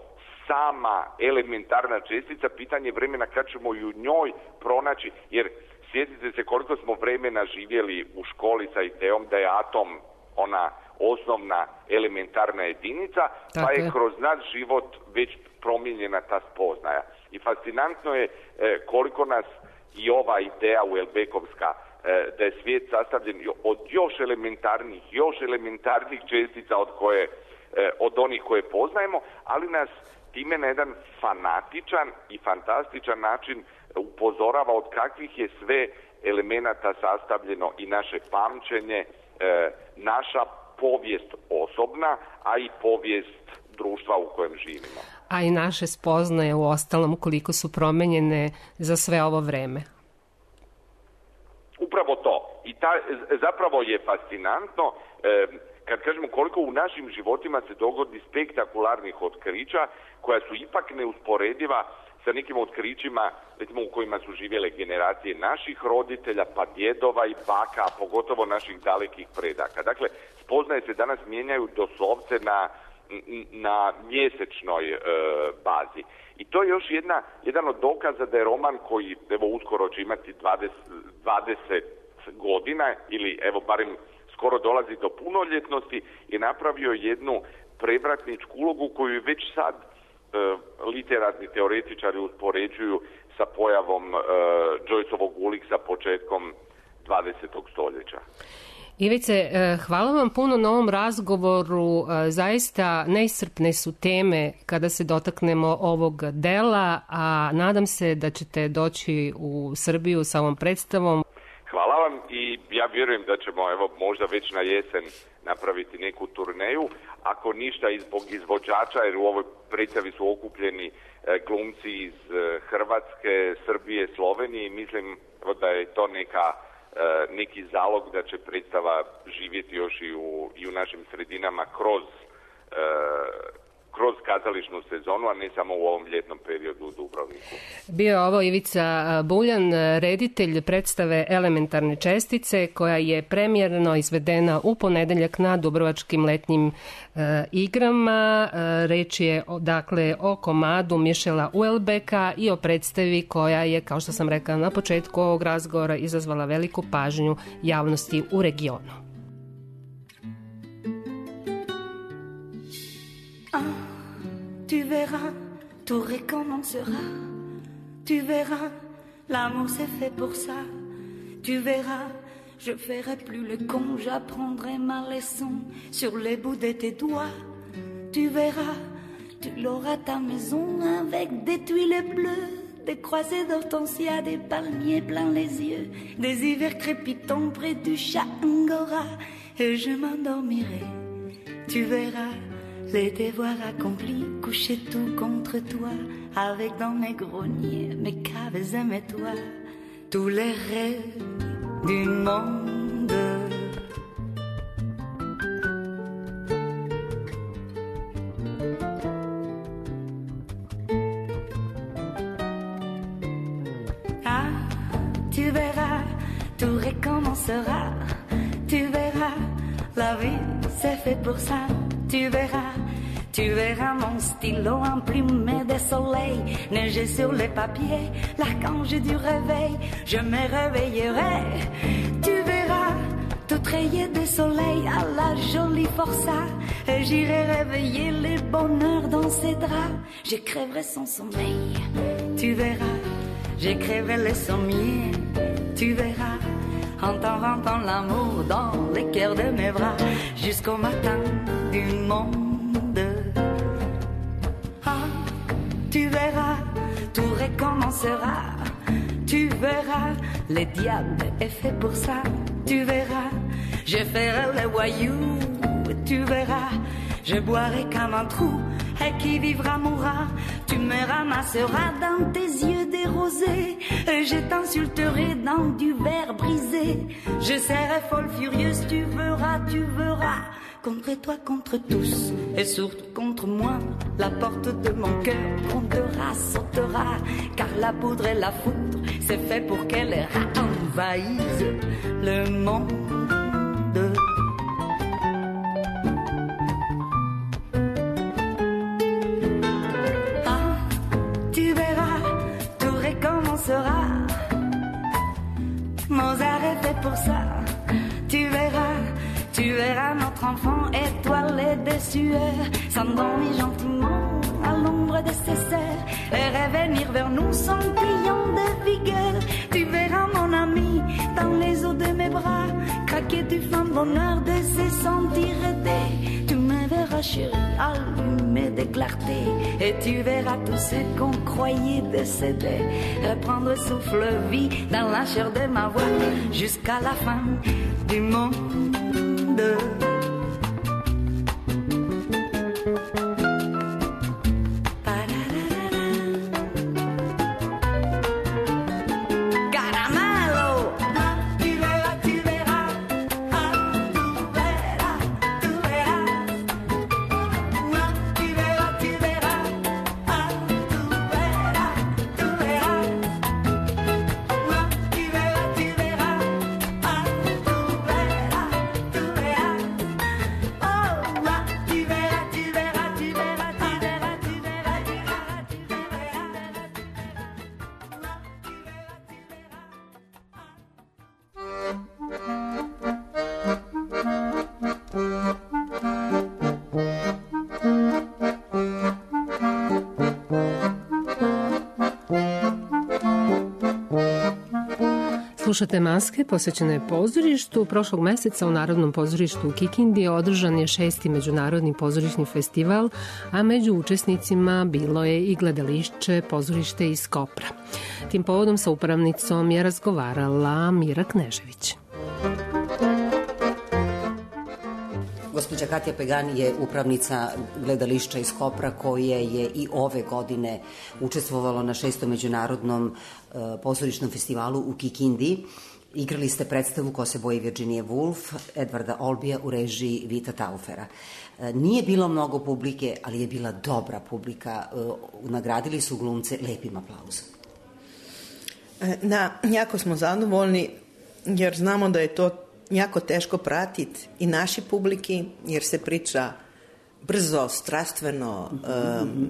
sama elementarna čestica, pitanje vremena kad ćemo i u njoj pronaći, jer sjetite se koliko smo vremena živjeli u školi sa idejom da je atom ona osnovna elementarna jedinica, tako pa je, je kroz naš život već promijenjena ta spoznaja. I fascinantno je e, koliko nas i ova ideja Houellebecqovska, e, da je svijet sastavljen od još elementarnih, još elementarnih čestica od, koje, e, od onih koje poznajemo, ali nas time na jedan fanatičan i fantastičan način upozorava od kakvih je sve elemenata sastavljeno i naše pamćenje, E, naša povijest osobna, a i povijest društva u kojem živimo. A i naše spoznaje u ostalom koliko su promenjene za sve ovo vreme. Upravo to. I ta, zapravo je fascinantno e, kad kažemo koliko u našim životima se dogodi spektakularnih otkrića koja su ipak neusporediva sa nekim otkrićima, recimo u kojima su živjele generacije naših roditelja, pa djedova i baka, a pogotovo naših dalekih predaka. Dakle, spoznaje se danas mijenjaju doslovce na, na mjesečnoj e, bazi. I to je još jedna, jedan od dokaza da je roman koji, evo, uskoro će imati dvadeset, dvadeset godina, ili evo, barem skoro dolazi do punoljetnosti, je napravio jednu prevratničku ulogu koju već sad e, literarni teoretičari uspoređuju sa pojavom e, Joyceovog Uliksa početkom dvadesetog stoljeća. Ivice, hvala vam puno na ovom razgovoru. Zaista neiscrpne su teme kada se dotaknemo ovog dela, a nadam se da ćete doći u Srbiju sa ovom predstavom. Hvala vam i ja vjerujem da ćemo, evo, možda već na jesen napraviti neku turneju. Ako ništa i zbog izvođača, jer u ovoj predstavi su okupljeni glumci iz Hrvatske, Srbije, Slovenije i mislim da je to neka neki zalog da će predstava živjeti još i u, i u našim sredinama kroz, e, kroz kazališnu sezonu, a ne samo u ovom ljetnom periodu u Dubrovniku. Bio je ovo Ivica Buljan, reditelj predstave Elementarne čestice, koja je premijerno izvedena u ponedeljak na Dubrovačkim letnjim e, igrama. E, reč je o, dakle o komadu Mišela Uelbeka i o predstavi koja je, kao što sam rekla na početku ovog razgovora, izazvala veliku pažnju javnosti u regionu. Tu verras, tout recommencera. Tu verras, l'amour c'est fait pour ça. Tu verras, je ferai plus le con, j'apprendrai ma leçon sur les bouts de tes doigts. Tu verras, tu l'auras ta maison avec des tuiles bleues, des croisées d'hortensia, des palmiers plein les yeux, des hivers crépitants près du chat Angora. Et je m'endormirai, tu verras. Les devoirs accomplis, coucher tout contre toi, avec dans mes greniers, mes caves et mes toits, tous les rêves du monde. Ah, tu verras, tout recommencera, tu verras, la vie c'est fait pour ça. Tu verras, tu verras mon stylo imprimé de soleil, neiger sur les papiers, l'archange du réveil. Je me réveillerai, tu verras, tout rayé de soleil à la jolie forçat. Et j'irai réveiller les bonheurs dans ses draps. Je crèverai son sommeil, tu verras, je crèverai les sommiers, tu verras. En t'en rentrant l'amour dans les cœurs de mes bras, jusqu'au matin du monde. Ah, tu verras, tout recommencera. Tu verras, le diable est fait pour ça. Tu verras, je ferai le voyou. Tu verras, je boirai comme un trou. Et qui vivra mourra. Tu me ramasseras dans tes yeux des rosés. Et je t'insulterai dans du verre brisé. Je serai folle furieuse, tu verras, tu verras. Contre toi, contre tous, et surtout contre moi. La porte de mon cœur grondera, sautera. Car la poudre et la foudre, c'est fait pour qu'elle envahisse le monde. Mozart est fait pour ça. Tu verras, tu verras notre enfant étoilé de sueur s'endormir gentiment à l'ombre de ses sœurs et revenir vers nous sans criant de vigueur. Tu verras mon ami dans les eaux de mes bras craquer du fin bonheur de se sentir aidé. Tu me verras chérie allumé de clarté et tu verras tout ce qu'on croyait décédé reprendre souffle vie dans la chair de ma voix jusqu'à la fin du monde. Slušate Maske, posvećene pozorištu. Prošlog meseca u Narodnom pozorištu u Kikindi održan je šesti međunarodni pozorišni festival, a među učesnicima bilo je i gledališće pozorište iz Kopra. Tim povodom sa upravnicom je razgovarala Mira Knežević. Gospođa Katja Pegani je upravnica gledališća iz Kopra koje je i ove godine učestvovalo na šestom međunarodnom pozorišnom festivalu u Kikindi. Igrali ste predstavu Ko se boji Virginia Woolf, Edvarda Olbija u režiji Vita Taufera. Nije bilo mnogo publike, ali je bila dobra publika. Nagradili su glumce lepim aplauzom. Da, jako smo zadovoljni jer znamo da je to jako teško pratiti i naši publiki, jer se priča brzo, strastveno, um,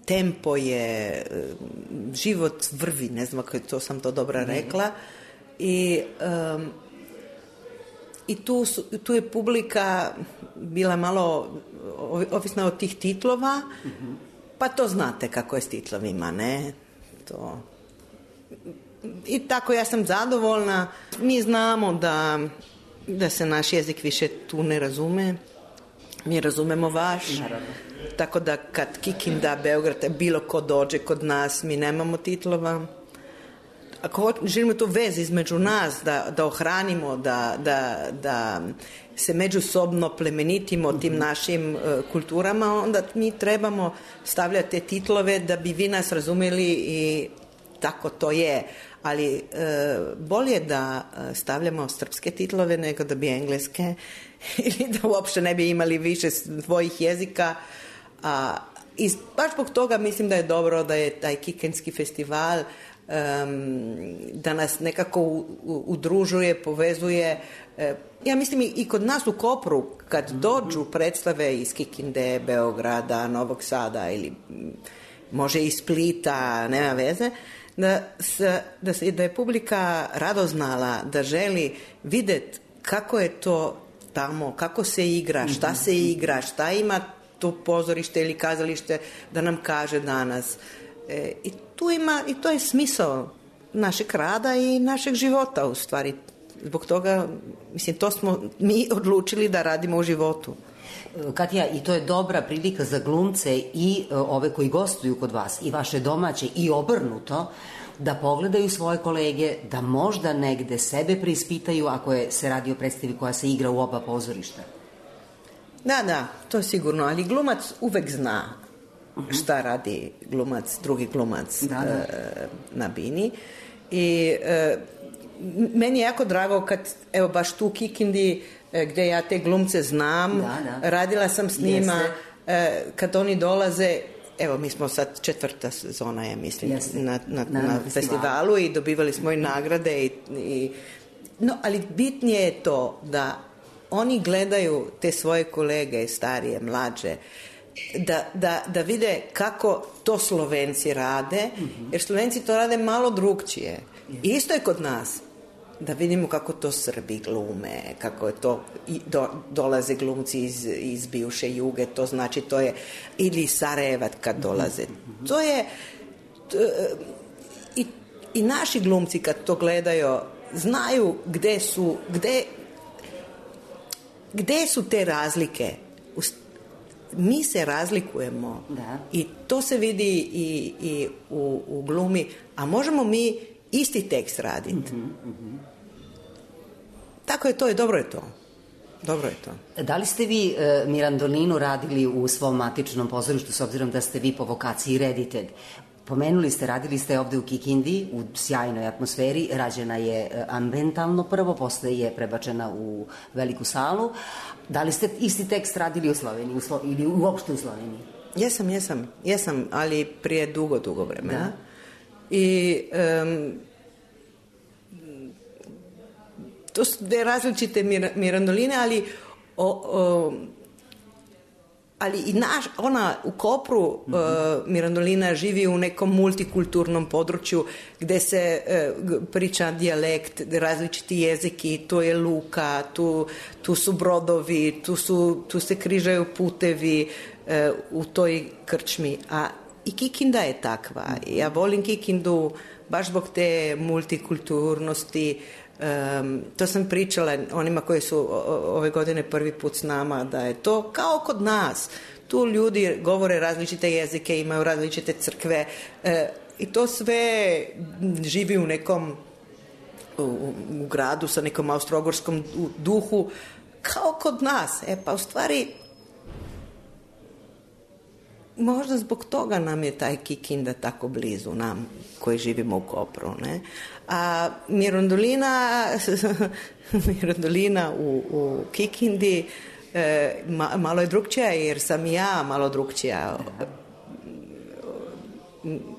tempo je, um, život vrvi, ne znam kako to sam to dobro rekla, i, um, i tu, su, tu je publika bila malo ovisna od tih titlova, pa to znate kako je s titlovima, ne? To... I tako ja sam zadovoljna. Mi znamo da da se naš jezik više tu ne razume. Mi razumemo vaš. Naravno. Tako da kad Kikinda, Beograd, bilo ko dođe kod nas, mi nemamo titlova. Ako želimo tu vez između nas, da, da ohranimo, da, da, da se međusobno plemenitimo tim našim uh, kulturama, onda mi trebamo stavljati te titlove da bi vi nas razumeli i tako to je. Ali e, bolje da stavljamo srpske titlove nego da bi engleske ili da uopšte ne bi imali više svojih jezika. A, i baš zbog toga mislim da je dobro da je taj Kikinski festival um, da nas nekako u, u, udružuje, povezuje. E, ja mislim i, i kod nas u Kopru kad dođu predstave iz Kikinde, Beograda, Novog Sada ili može iz Splita, nema veze, Da, se, da, se, da je publika radoznala, da želi vidjeti kako je to tamo, kako se igra, šta se igra, šta ima to pozorište ili kazalište da nam kaže danas. E, i, tu ima, I to je smisao našeg rada i našeg života u stvari. Zbog toga, mislim, to smo mi odlučili da radimo u životu. Katja, i to je dobra prilika za glumce i ove koji gostuju kod vas, i vaše domaće, i obrnuto, da pogledaju svoje kolege, da možda negde sebe preispitaju ako je se radi o predstavi koja se igra u oba pozorišta. Da, da, to je sigurno, ali glumac uvek zna šta radi glumac, drugi glumac da, da. E, na bini. I e, meni je jako drago kad, evo baš tu u Kikindi, gde ja te glumce znam, da, da. radila sam s njima, e, kad oni dolaze, evo mi smo sad četvrta sezona, ja mislim, Jeste. na, na, na, na festivalu i dobivali smo i nagrade, i, i, no, ali bitnije je to da oni gledaju te svoje kolege, starije, mlađe, da, da, da vide kako to Slovenci rade, mm-hmm. jer Slovenci to rade malo drugčije. I isto je kod nas. Da vidimo kako to Srbi glume, kako je to, do, dolaze glumci iz, iz bivše Juge, to znači to je, ili Sarajevat kad dolaze. To je, to, i, i naši glumci kad to gledaju, znaju gde su, gde, gde su te razlike. Mi se razlikujemo da. I to se vidi i, i u, u glumi, a možemo mi isti tekst raditi. Mm-hmm, mm-hmm. Tako je to i dobro je to. Dobro je to. Da li ste vi e, Mirandolinu radili u svom matičnom pozorištu, s obzirom da ste vi po vokaciji reditelj? Pomenuli ste, radili ste ovde u Kikindi u sjajnoj atmosferi, rađena je ambientalno prvo, posle je prebačena u veliku salu. Da li ste isti tekst radili u Sloveniji u Slo... ili uopšte u Sloveniji? Jesam, jesam, jesam, ali prije dugo, dugo vremena. Da. I um, to su dve različite mir, Mirandoline, ali o, o, ali i naš, ona u Kopru mm-hmm. uh, Mirandolina živi u nekom multikulturnom području gde se uh, priča dijalekt, različiti jeziki, to je luka, tu, tu su brodovi, tu, su, tu se križaju putevi uh, u toj krčmi, a i Kikinda je takva. Ja volim Kikindu, baš zbog te multikulturnosti. Um, to sam pričala onima koji su o, ove godine prvi put s nama, da je to kao kod nas. Tu ljudi govore različite jezike, imaju različite crkve e, i to sve živi u nekom u, u gradu sa nekom austrogorskom duhu kao kod nas. E pa u stvari možda zbog toga nam je taj Kikinda tako blizu nam koji živimo u Kopru, ne? A Mirondolina Mirondolina u, u Kikindi e, ma, malo je drugčija jer sam ja malo drugčija.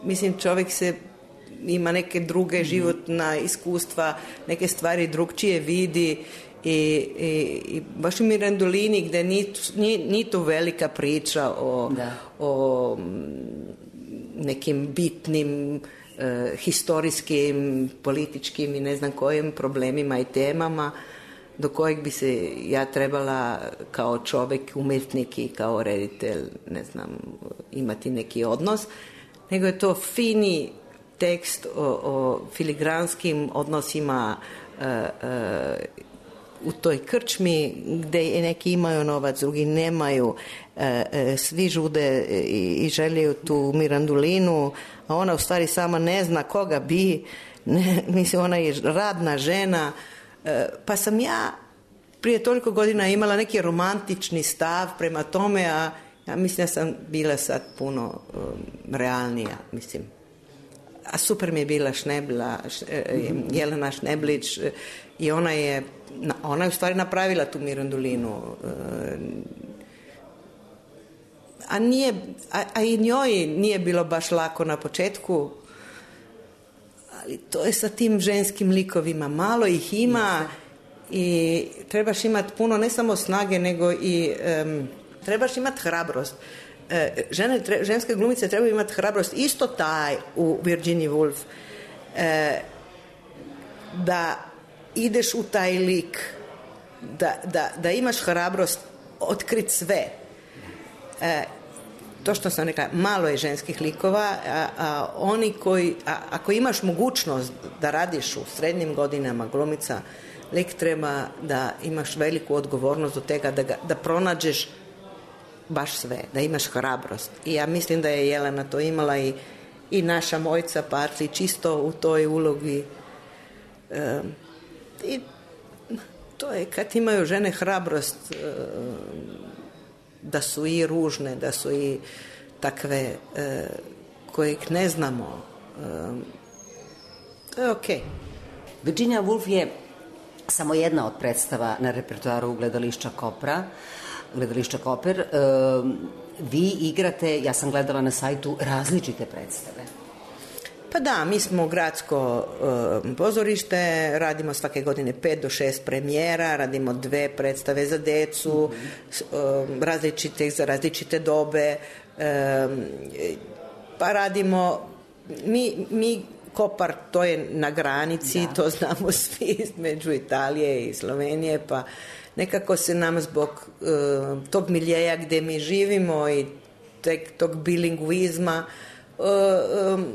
Mislim, čovjek se ima neke druge životna iskustva, neke stvari drugčije vidi i, i, i baš u Mirandolini gdje ni, ni, ni tu velika priča o, o nekim bitnim e, historijskim, političkim i ne znam kojim problemima i temama do kojeg bi se ja trebala kao čovjek, umjetnik i kao reditelj, ne znam, imati neki odnos, nego je to fini tekst o, o filigranskim odnosima e, e, u toj krčmi gdje neki imaju novac, drugi nemaju, e, e, svi žude i, i želiju tu Mirandolinu, a ona u stvari sama ne zna koga bi, ne, mislim, ona je radna žena, e, pa sam ja prije toliko godina imala neki romantični stav prema tome, a ja mislim da sam bila sad puno um, realnija, mislim. A super mi je bila Šnebla, Jelena Šneblić i ona je, ona je u stvari napravila tu Mirandolinu. A, nije, a, a i njoj nije bilo baš lako na početku, ali to je sa tim ženskim likovima. Malo ih ima i trebaš imati puno ne samo snage, nego i um, trebaš imati hrabrost. Žene, tre, ženske glumice trebaju imati hrabrost, isto taj u Virginia Woolf, e, da ideš u taj lik, da, da, da imaš hrabrost otkriti sve. E, to što sam rekla, malo je ženskih likova, a, a oni koji, a, ako imaš mogućnost da radiš u srednjim godinama glumica, lik treba da imaš veliku odgovornost do tega, da, ga, da pronađeš baš sve, da imaš hrabrost. I ja mislim da je Jelena to imala i, i naša Mojca Patli čisto u toj ulogi. E, I to je kad imaju žene hrabrost e, da su i ružne, da su i takve e, kojeg ne znamo. E, to je okej. Okay. Virginia Woolf je samo jedna od predstava na repertoaru gledališća Kopra, gledališća Koper. E, vi igrate, ja sam gledala na sajtu, različite predstave. Pa da, mi smo gradsko e, pozorište, radimo svake godine pet do šest premijera, radimo dve predstave za decu, mm-hmm. e, različite za različite dobe, e, pa radimo, mi, mi Kopar, to je na granici, da. To znamo svi između Italije i Slovenije, pa nekako se nam zbog uh, tog miljeja gdje mi živimo i tek, tog bilingvizma uh, um,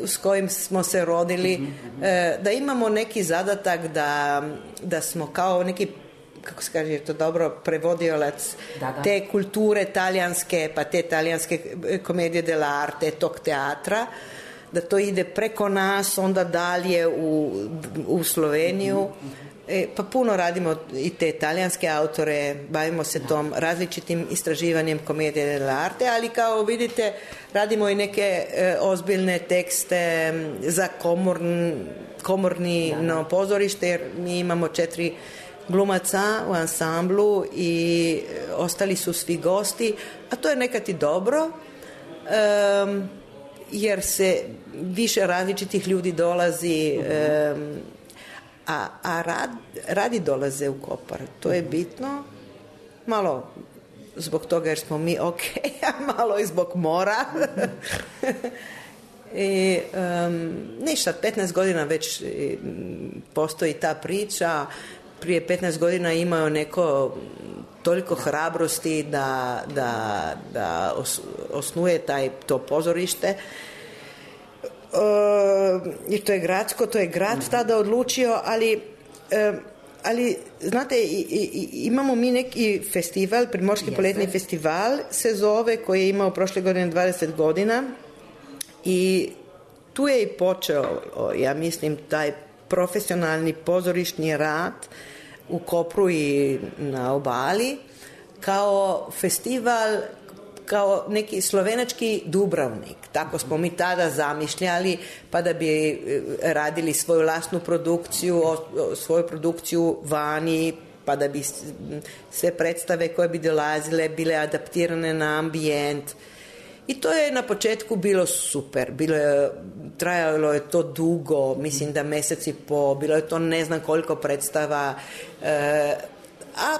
s kojim smo se rodili, mm-hmm. uh, da imamo neki zadatak da, da smo kao neki, kako se kaže, je to dobro, prevodiolac da, da. te kulture talijanske, pa te talijanske komedije dell'arte, tog teatra, da to ide preko nas, onda dalje u, u Sloveniju. Mm-hmm. E, pa puno radimo i te talijanske autore, bavimo se tom različitim istraživanjem komedije dell'arte, ali kao vidite radimo i neke e, ozbiljne tekste za komorn, komorni no, pozorište, jer mi imamo četiri glumaca u ansamblu i ostali su svi gosti, a to je nekad i dobro, e, jer se više različitih ljudi dolazi, e, a, a rad, radi dolaze u Kopar. To je bitno, malo zbog toga jer smo mi ok, a malo i zbog mora. I, um, ništa, petnaest godina već postoji ta priča. Prije petnaest godina imao neko toliko hrabrosti da, da, da os, osnuje taj, to pozorište. jer to je gradsko, to je grad tada odlučio, ali ali znate, i, i, imamo mi neki festival, Primorski poletni festival se zove, koji je imao prošle godine dvadeset godina i tu je i počeo, ja mislim, taj profesionalni pozorišni rad u Kopru i na obali kao festival, kao neki slovenački Dubrovnik. Tako smo mi tada zamišljali, pa da bi radili svoju vlastnu produkciju, svoju produkciju vani, pa da bi sve predstave koje bi dolazile bile adaptirane na ambijent. I to je na početku bilo super. Bilo je, trajalo je to dugo, mislim da mesec i po, bilo je to ne znam koliko predstava, e, a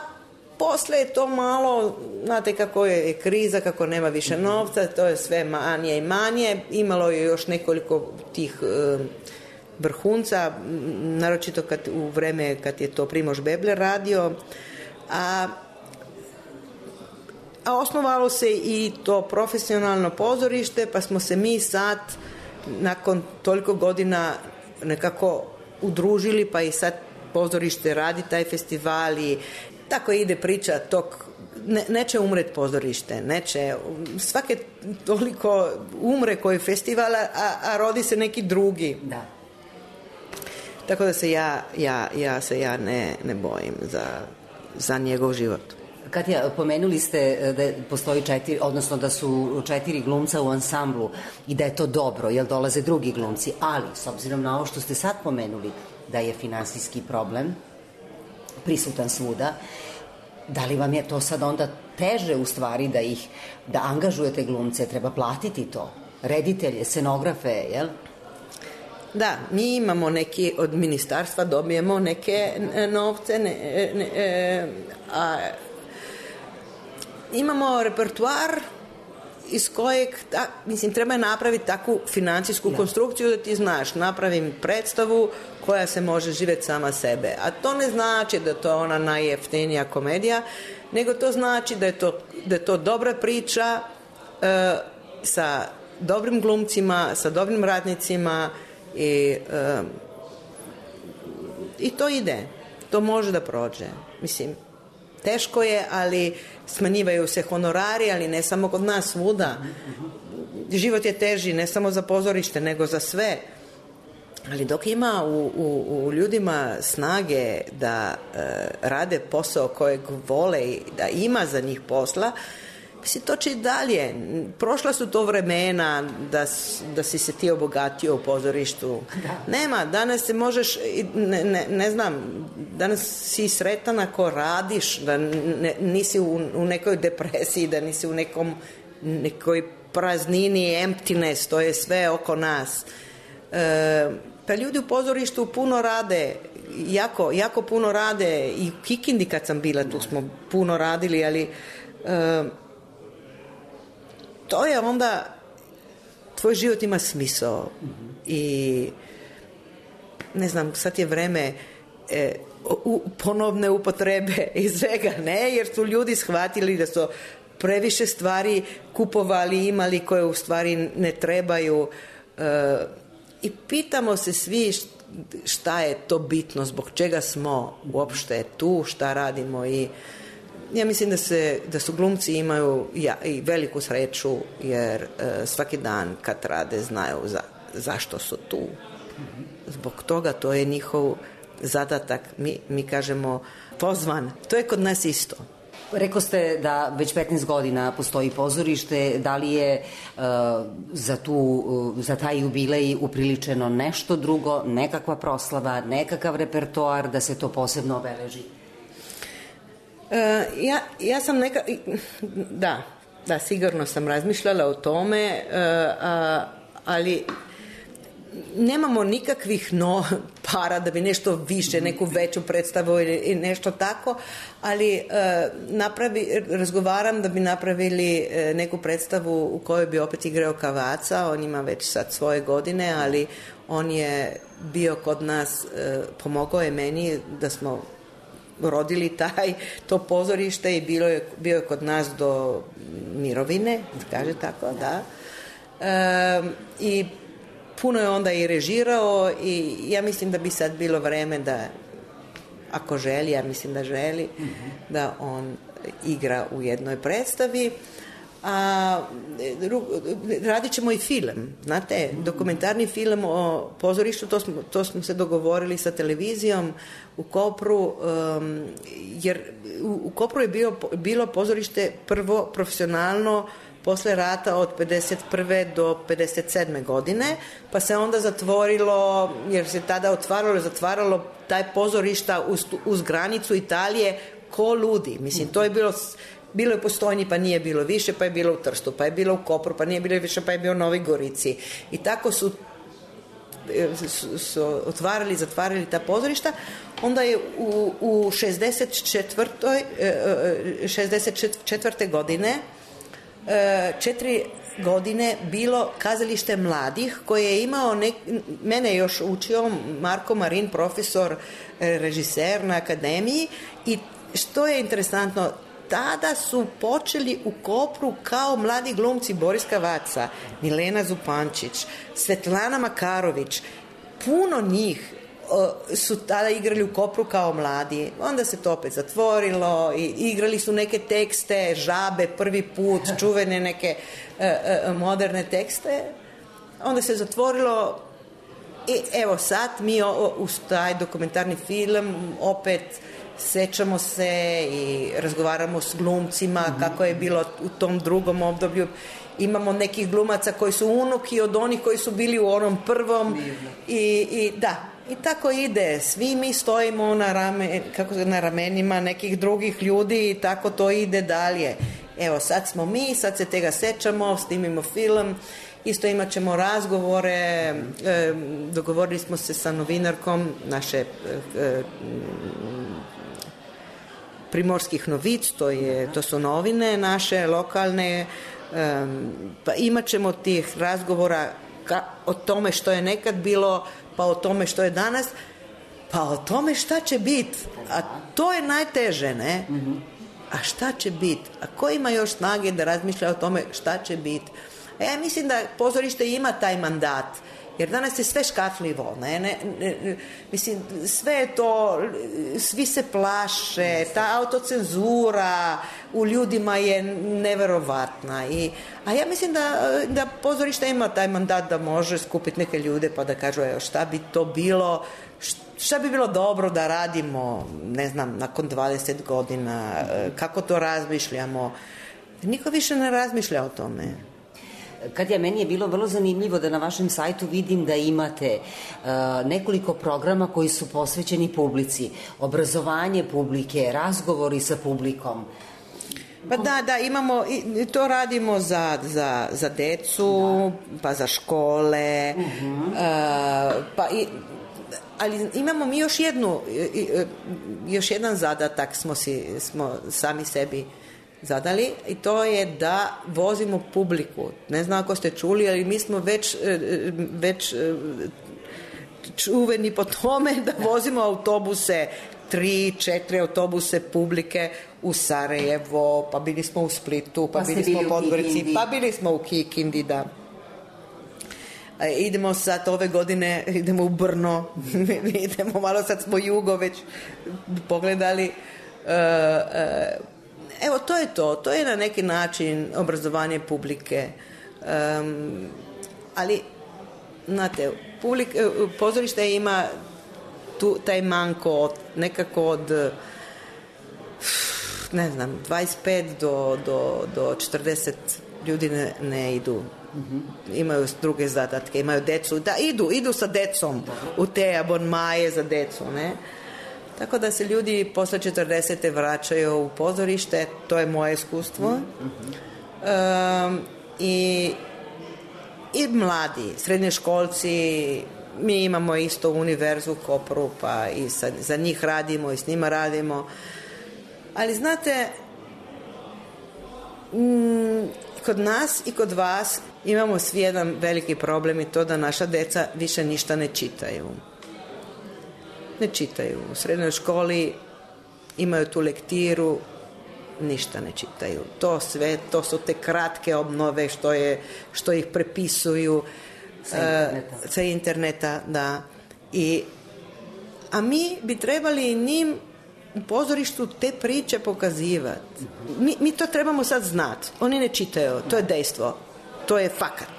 posle je to malo, znate kako je kriza, kako nema više novca, to je sve manje i manje. Imalo je još nekoliko tih e, vrhunca, naročito kad, u vreme kad je to Primož Bebler radio, a, a osnovalo se i to profesionalno pozorište, pa smo se mi sad nakon toliko godina nekako udružili, pa i sad pozorište radi taj festival i tako ide priča tog, ne, neće umret pozorište, neće, svake toliko umre koji festival, a, a rodi se neki drugi. Da. Tako da se ja, ja, ja se ja ne, ne bojim za, za njegov život. Katja, pomenuli ste da postoji četiri, odnosno da su četiri glumca u ansamblu i da je to dobro, jer dolaze drugi glumci, ali s obzirom na ovo što ste sad pomenuli, da je finansijski problem prisutan svuda, da li vam je to sad onda teže u stvari da ih, da angažujete glumce, treba platiti to, reditelje, scenografe, jel? Da, mi imamo neki, od ministarstva dobijemo neke novce, ne, ne, a imamo repertoar iz kojeg, ta, mislim, treba napraviti takvu financijsku konstrukciju da ti znaš, napravim predstavu koja se može živjeti sama sebe. A to ne znači da to je ona najjeftinija komedija, nego to znači da je to, da je to dobra priča e, sa dobrim glumcima, sa dobrim radnicima i, e, i to ide. To može da prođe. Mislim, teško je, ali smanjivaju se honorari, ali ne samo kod nas, svuda. Život je teži, ne samo za pozorište, nego za sve. Ali dok ima u, u, u ljudima snage da e, rade posao kojeg vole i da ima za njih posla, mislim, to će i dalje. Prošla su to vremena da, da si se ti obogatio u pozorištu. Da. Nema, danas se možeš, ne, ne, ne znam, danas si sretan ako radiš, da ne, nisi u, u nekoj depresiji, da nisi u nekom, nekoj praznini, emptiness, to je sve oko nas. E, pa ljudi u pozorištu puno rade, jako, jako puno rade, i u Kikindi kad sam bila, tu smo puno radili, ali e, to je onda, tvoj život ima smisao. Mm-hmm. I ne znam, sad je vreme e, u, ponovne upotrebe i svega, ne, jer su ljudi shvatili da su previše stvari kupovali, imali koje u stvari ne trebaju, e, i pitamo se svi šta je to bitno, zbog čega smo uopšte tu, šta radimo. I ja mislim da, se, da su glumci imaju ja, i veliku sreću, jer e, svaki dan kad rade znaju za, zašto su tu. Zbog toga to je njihov zadatak, mi, mi kažemo pozvan. To je kod nas isto. Rekao ste da već petnaest godina postoji pozorište, da li je uh, za, tu, uh, za taj jubilej upriličeno nešto drugo, nekakva proslava, nekakav repertoar, da se to posebno obeleži? Uh, ja, ja sam neka... Da, da, sigurno sam razmišljala o tome, uh, a, ali nemamo nikakvih no, para da bi nešto više, neku veću predstavu ili nešto tako, ali e, napravi, razgovaram da bi napravili e, neku predstavu u kojoj bi opet igrao Cavazza. On ima već sad svoje godine, ali on je bio kod nas, e, pomogao je meni da smo rodili taj, to pozorište, i bilo je, bio je kod nas do mirovine, kaže tako, da. E, I puno je onda i režirao i ja mislim da bi sad bilo vreme da, ako želi, ja mislim da želi, mm-hmm. da on igra u jednoj predstavi. A radit ćemo i film, znate, dokumentarni film o pozorištu, to smo, to smo se dogovorili sa televizijom u Kopru, um, jer u, u Kopru je bio, bilo pozorište prvo profesionalno posle rata od pedeset prve do pedeset sedme godine, pa se onda zatvorilo, jer se tada otvaralo i zatvaralo taj pozorišta uz, uz granicu Italije ko ludi, mislim, to je bilo... Bilo je Postojnji, pa nije bilo više, pa je bilo u Trstu, pa je bilo u Kopru, pa nije bilo više, pa je bilo u Novoj Gorici. I tako su, su, su otvarali, zatvarali ta pozorišta. Onda je u, u šezdeset četvrte godine četiri godine bilo kazalište mladih koje je imao, nek, mene je još učio Marko Marin, profesor, režiser na akademiji i što je interesantno, tada su počeli u Kopru kao mladi glumci Boris Kavaca, Milena Zupančić, Svetlana Makarović, puno njih su tada igrali u Kopru kao mladi. Onda se to opet zatvorilo i igrali su neke tekste, Žabe prvi put, čuvene neke uh, uh, moderne tekste. Onda se zatvorilo i evo sad mi uz taj dokumentarni film opet sećamo se i razgovaramo s glumcima mm-hmm. kako je bilo u tom drugom obdoblju. Imamo nekih glumaca koji su unuki od onih koji su bili u onom prvom i, i da, i tako ide. Svi mi stojimo na, rame, kako, na ramenima nekih drugih ljudi i tako to ide dalje. Evo sad smo mi, sad se tega sećamo, snimimo film, isto imat ćemo razgovore, e, dogovorili smo se sa novinarkom naše e, Primorskih novic, to, je, to su novine naše, lokalne, um, pa imat ćemo tih razgovora ka, o tome što je nekad bilo, pa o tome što je danas, pa o tome šta će biti. A to je najteže, ne? A šta će biti? A ko ima još snage da razmišlja o tome šta će biti? A ja mislim da pozorište ima taj mandat, jer danas je sve škatljivo, ne, ne, ne, mislim, sve je to, svi se plaše, ta autocenzura u ljudima je neverovatna. I, a ja mislim da, da pozorište ima taj mandat da može skupiti neke ljude pa da kažu evo, šta bi to bilo, šta bi bilo dobro da radimo, ne znam, nakon dvadeset godina, kako to razmišljamo. Niko više ne razmišlja o tome. Katja, meni je bilo vrlo zanimljivo da na vašem sajtu vidim da imate uh, nekoliko programa koji su posvećeni publici, obrazovanje publike, razgovori sa publikom. Pa da, da, imamo, i to radimo za, za, za decu, da. Pa za škole, uh-huh. uh, pa i, ali imamo mi još jednu, još jedan zadatak smo, si, smo sami sebi zadali i to je da vozimo publiku. Ne znam ako ste čuli, ali mi smo već, već čuveni po tome da vozimo autobuse, tri, četiri autobuse publike u Sarajevo, pa bili smo u Splitu, pa, pa bili smo u Podgorici, pa bili smo u Kikindi, da. Idemo sad ove godine, idemo u Brno, idemo malo, sad smo jugo već pogledali. Uh, uh, Evo, to je to. To je na neki način obrazovanje publike. Um, ali, znate, publik, pozorište ima tu, taj manko od, nekako od ne znam, dvadeset pet do, do, do četrdeset ljudi ne, ne idu. Mm-hmm. Imaju druge zadatke, imaju decu. Da, idu, idu sa decom u te abonmaje za decu, ne? Tako da se ljudi posle četrdesete vraćaju u pozorište, to je moje iskustvo. Mm-hmm. Um, i, i mladi, srednjoškolci, mi imamo isto univerzu u Kopru, pa i sa, za njih radimo i s njima radimo. Ali znate, m, kod nas i kod vas imamo svi jedan veliki problem i to da naša deca više ništa ne čitaju. Ne čitaju. U srednjoj školi imaju tu lektiru, ništa ne čitaju. To sve, to su te kratke obnove što, je, što ih prepisuju. Sa interneta. Uh, sa interneta, da. I, a mi bi trebali njim u pozorištu te priče pokazivati. Mi, mi to trebamo sad znati. Oni ne čitaju, to je dejstvo. To je fakat.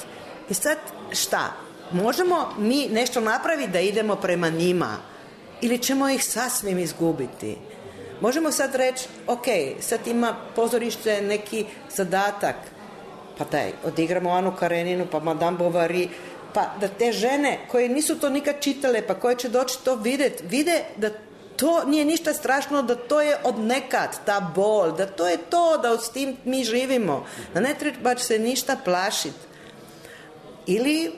I sad šta? Možemo mi nešto napraviti da idemo prema njima ili ćemo ih sasvim izgubiti? Možemo sad reći, ok, sad ima pozorište neki zadatak, pa daj, odigramo Anu Kareninu, pa Madame Bovary, pa da te žene koje nisu to nikad čitale, pa koje će doći to vidjeti, vide da to nije ništa strašno, da to je od nekad, ta bol, da to je to, da s tim mi živimo, da ne treba se ništa plašiti. Ili,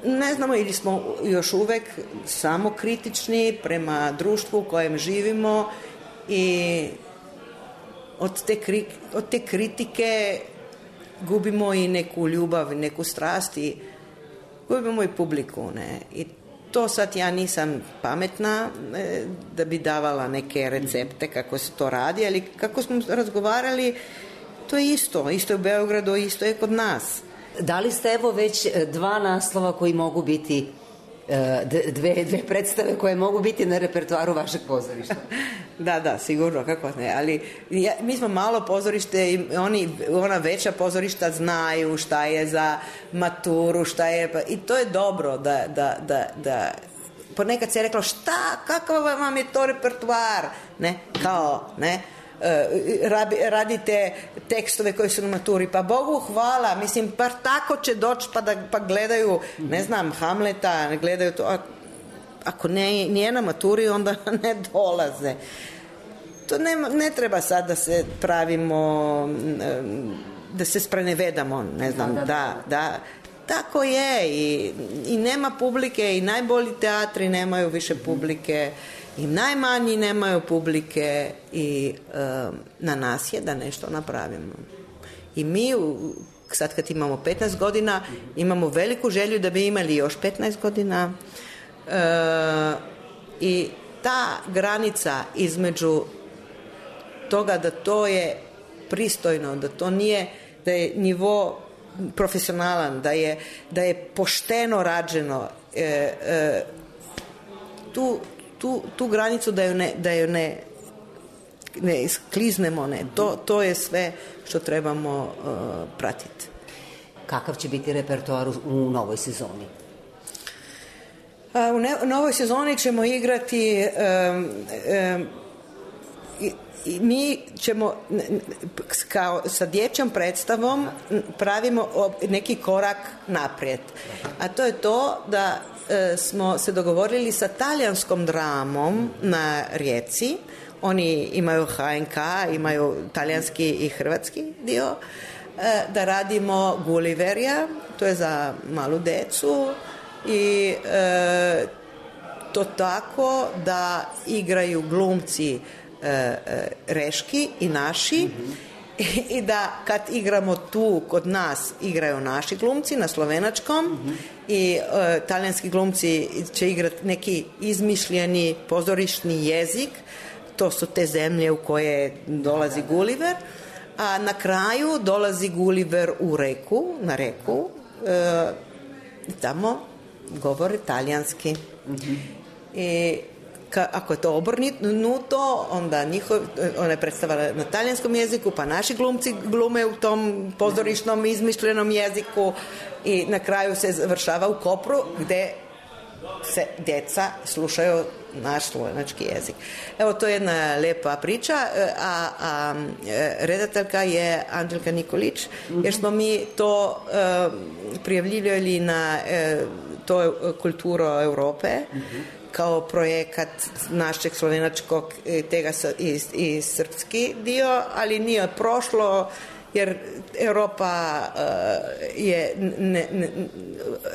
ne znamo, ili smo još uvek samo kritični prema društvu u kojem živimo i od te, kri, od te kritike gubimo i neku ljubav, neku strast i gubimo i publiku, ne? I to sad ja nisam pametna e, da bi davala neke recepte kako se to radi, ali kako smo razgovarali, to je isto, isto je u Beogradu, isto je kod nas. Dali ste evo već dva naslova koji mogu biti, dve, dve predstave koje mogu biti na repertoaru vašeg pozorišta. Da, da, sigurno, kako ne, ali ja, mi smo malo pozorište i oni, ona veća pozorišta znaju šta je za maturu, šta je, i to je dobro da, da, da, da ponekad se je reklo šta, kakav vam je to repertoar, ne, kao, ne, radite tekstove koji su na maturi, pa Bogu hvala, mislim, par tako će doći pa da pa gledaju, ne znam, Hamleta, ne gledaju to, ako ne, nije na maturi, onda ne dolaze. To ne, ne treba sad da se pravimo, da se sprenevedamo, ne znam, da, da, da. Tako je i, i nema publike i najbolji teatri nemaju više publike i najmanji nemaju publike i um, na nas je da nešto napravimo. I mi, sad kad imamo petnaest godina, imamo veliku želju da bi imali još petnaest godina uh, i ta granica između toga da to je pristojno, da to nije, da je nivo profesionalan, da je, da je pošteno rađeno, e, e, tu, tu, tu granicu da ju ne, da ju ne, ne iskliznemo, ne. To, to je sve što trebamo uh, pratiti. Kakav će biti repertoar u novoj sezoni? A, u, ne, u novoj sezoni ćemo igrati um, um, i, i mi ćemo kao sa dječjom predstavom pravimo neki korak naprijed. A to je to da e, smo se dogovorili sa talijanskom dramom na Rijeci. Oni imaju H N K, imaju talijanski i hrvatski dio, e, da radimo Gulliverja, to je za malu decu i e, to tako da igraju glumci e, e, reški i naši, mm-hmm. I, i da kad igramo tu kod nas igraju naši glumci na slovenačkom, mm-hmm. i e, talijanski glumci će igrati neki izmišljeni pozorišni jezik, to su te zemlje u koje dolazi Gulliver, a na kraju dolazi Gulliver u reku, na reku, e, tamo govori talijanski. Mm-hmm. I ka, ako je to obrnuto, onda njihov, ona je predstava na talijanskom jeziku, pa naši glumci glume u tom pozorišnom izmišljenom jeziku i na kraju se završava u Kopru gde se djeca slušaju naš slovenački jezik. Evo, to je jedna lepa priča, a, a redateljka je Anđelka Nikolić, jer smo mi to uh, prijavljivali na uh, to kulturo Europe, mm-hmm. kao projekat našeg slovenačkog tega i, i srpski dio, ali nije prošlo jer Europa uh, je ne, ne,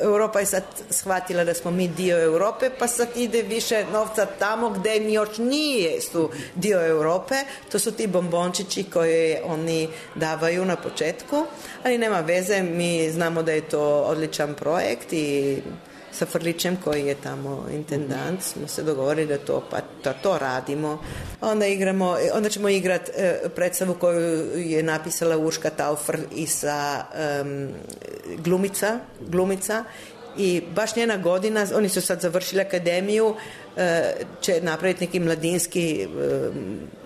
Europa je sad shvatila da smo mi dio Europe, pa sad ide više novca tamo gde mi još nije su dio Europe, to su ti bombončići koje oni davaju na početku, ali nema veze, mi znamo da je to odličan projekt i sa Frlićem koji je tamo intendant smo se dogovorili da to, pa, da to radimo. Onda igramo, onda ćemo igrati e, predstavu koju je napisala Urška Taufer i sa um, glumica, glumica i baš njena godina, oni su sad završili akademiju, će napraviti neki mladinski,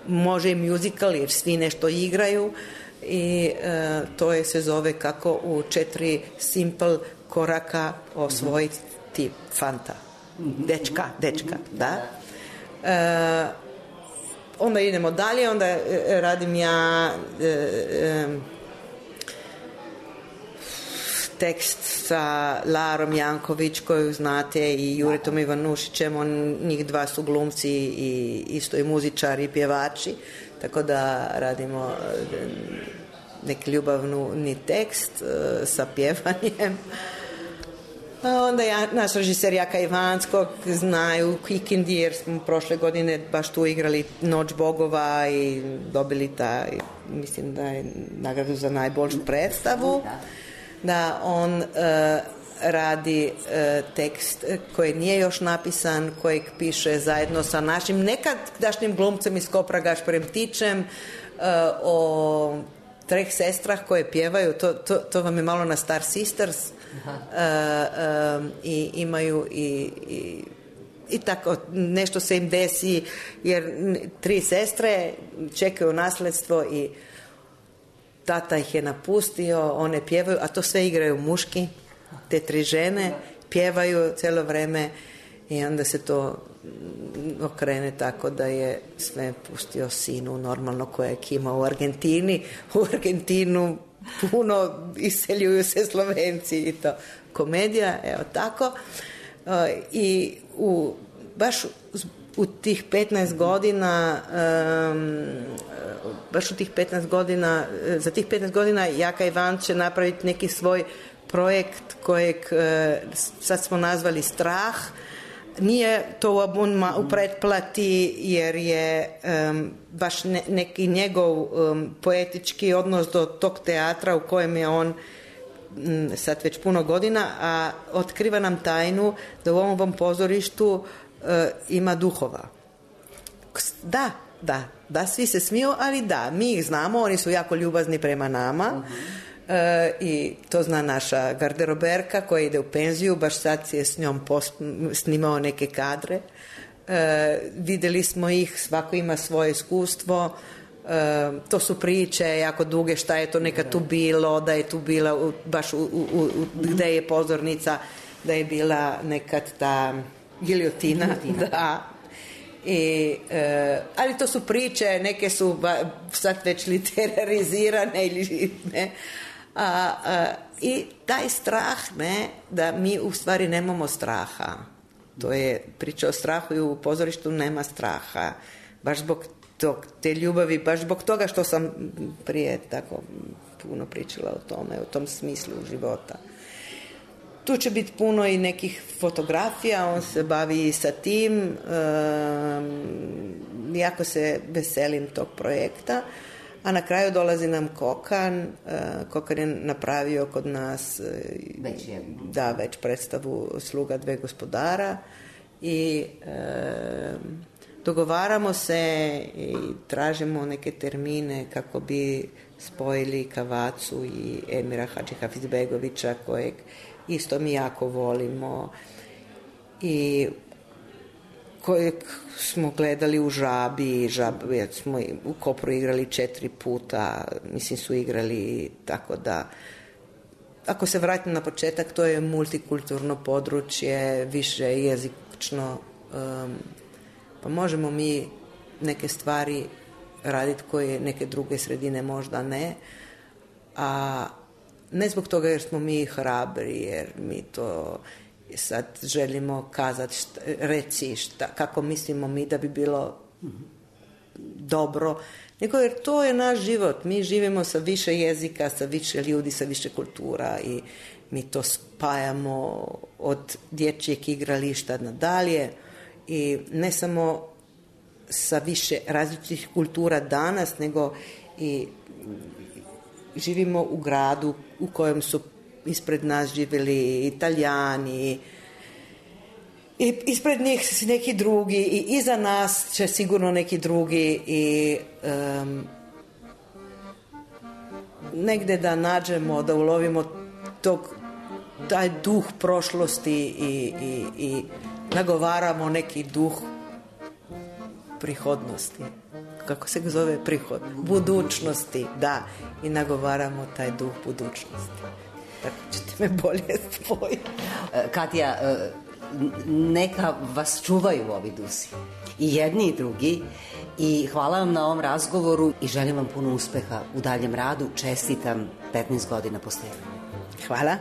može i musical jer svi nešto igraju i to je se zove kako u četiri simple koraka osvojiti fanta. Dečka, dečka, da. Onda idemo dalje, onda radim ja tekst sa Larom Janković koju znate i Juretom Ivanušićem, on, njih dva su glumci i isto i muzičari i pjevači, tako da radimo neki ljubavni tekst sa pjevanjem. Pa onda ja, naš režiser Jaka Ivanskog znaju Kikindi jer smo prošle godine baš tu igrali Noć bogova i dobili ta, mislim da je nagradu za najbolju predstavu. Da on uh, radi uh, tekst koji nije još napisan, kojeg piše zajedno sa našim nekadašnjim glumcem iz Kopra Gašparem Tičem uh, o treh sestrah koje pjevaju, to, to, to vam je malo na Star Sisters, uh, uh, i imaju i, i, i tako nešto se im desi jer tri sestre čekaju nasledstvo i tata ih je napustio, one pjevaju, a to sve igraju muški, te tri žene pjevaju cijelo vreme i onda se to okrene tako da je sve pustio sinu normalno kojeg ima u Argentini. U Argentinu puno iseljuju se Slovenci i to komedija, evo tako. I u, baš u tih petnaest godina um, baš u tih petnaest godina za tih petnaest godina Jaka Ivan će napraviti neki svoj projekt kojeg sad smo nazvali Strah. Nije to u pretplati jer je um, baš ne, neki njegov um, poetički odnos do tog teatra u kojem je on um, sad već puno godina, a otkriva nam tajnu da u ovom pozorištu uh, ima duhova. Da, da, da, svi se smiju, ali da, mi ih znamo, oni su jako ljubazni prema nama. Uh-huh. E, i to zna naša garderoberka koja ide u penziju, baš sad je s njom posp- snimao neke kadre. E, videli smo ih, svako ima svoje iskustvo, e, to su priče jako duge, šta je to nekad tu bilo, da je tu bila u, baš u, u, u, gde je pozornica, da je bila nekad ta giljotina, da. I, e, ali to su priče, neke su ba, sad već literarizirane ili ne. A, a, i taj strah, ne, da mi u stvari nemamo straha, to je priča o strahu i u pozorištu nema straha, baš zbog tog, te ljubavi, baš zbog toga što sam prije tako puno pričala o tome, o tom smislu života. Tu će biti puno i nekih fotografija, on se bavi i sa tim, um, jako se veselim tog projekta. A na kraju dolazi nam Kokan. Kokan je napravio kod nas već je. Da, već predstavu Sluga dve gospodara i e, dogovaramo se i tražimo neke termine kako bi spojili Kavacu i Emira Hadžihafizbegovića kojeg isto mi jako volimo i kojeg smo gledali u Žabi, Žabi smo u Kopru igrali četiri puta, mislim su igrali tako da, ako se vratim na početak, to je multikulturno područje, više jezično, um, pa možemo mi neke stvari raditi koje neke druge sredine možda ne, a ne zbog toga jer smo mi hrabri, jer mi to sad želimo kazati, šta, reći šta, kako mislimo mi da bi bilo dobro, nego jer to je naš život. Mi živimo sa više jezika, sa više ljudi, sa više kultura i mi to spajamo od dječjeg igrališta nadalje i ne samo sa više različitih kultura danas, nego i živimo u gradu u kojem su ispred nas živjeli Italijani i ispred njih neki drugi i iza nas će sigurno neki drugi i um, negdje da nađemo, da ulovimo tog taj duh prošlosti i, i, i nagovaramo neki duh prihodnosti. Kako se ga zove prihod? Budućnosti, da. I nagovaramo taj duh budućnosti. Tako ćete me bolje spojiti. Katja, neka vas čuvaju ovi dusi. I jedni i drugi. I hvala vam na ovom razgovoru i želim vam puno uspeha u daljem radu. Čestitam petnaest godina postojanja. Hvala.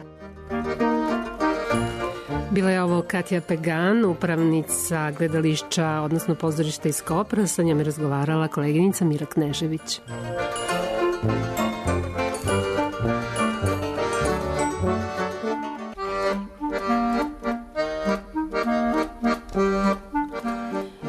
Bila je ovo Katja Pegan, upravnica gledališća, odnosno pozorišta iz Kopra. Sa njom je razgovarala koleginica Mira Knežević.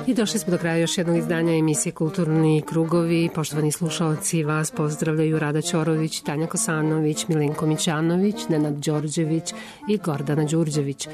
I došli smo do kraja još jednog izdanja emisije Kulturni krugovi. Poštovani slušalci, vas pozdravljaju Rada Ćorović, Tanja Kosanović, Milenko Mićanović, Nenad Đorđević i Gordana Đurđević.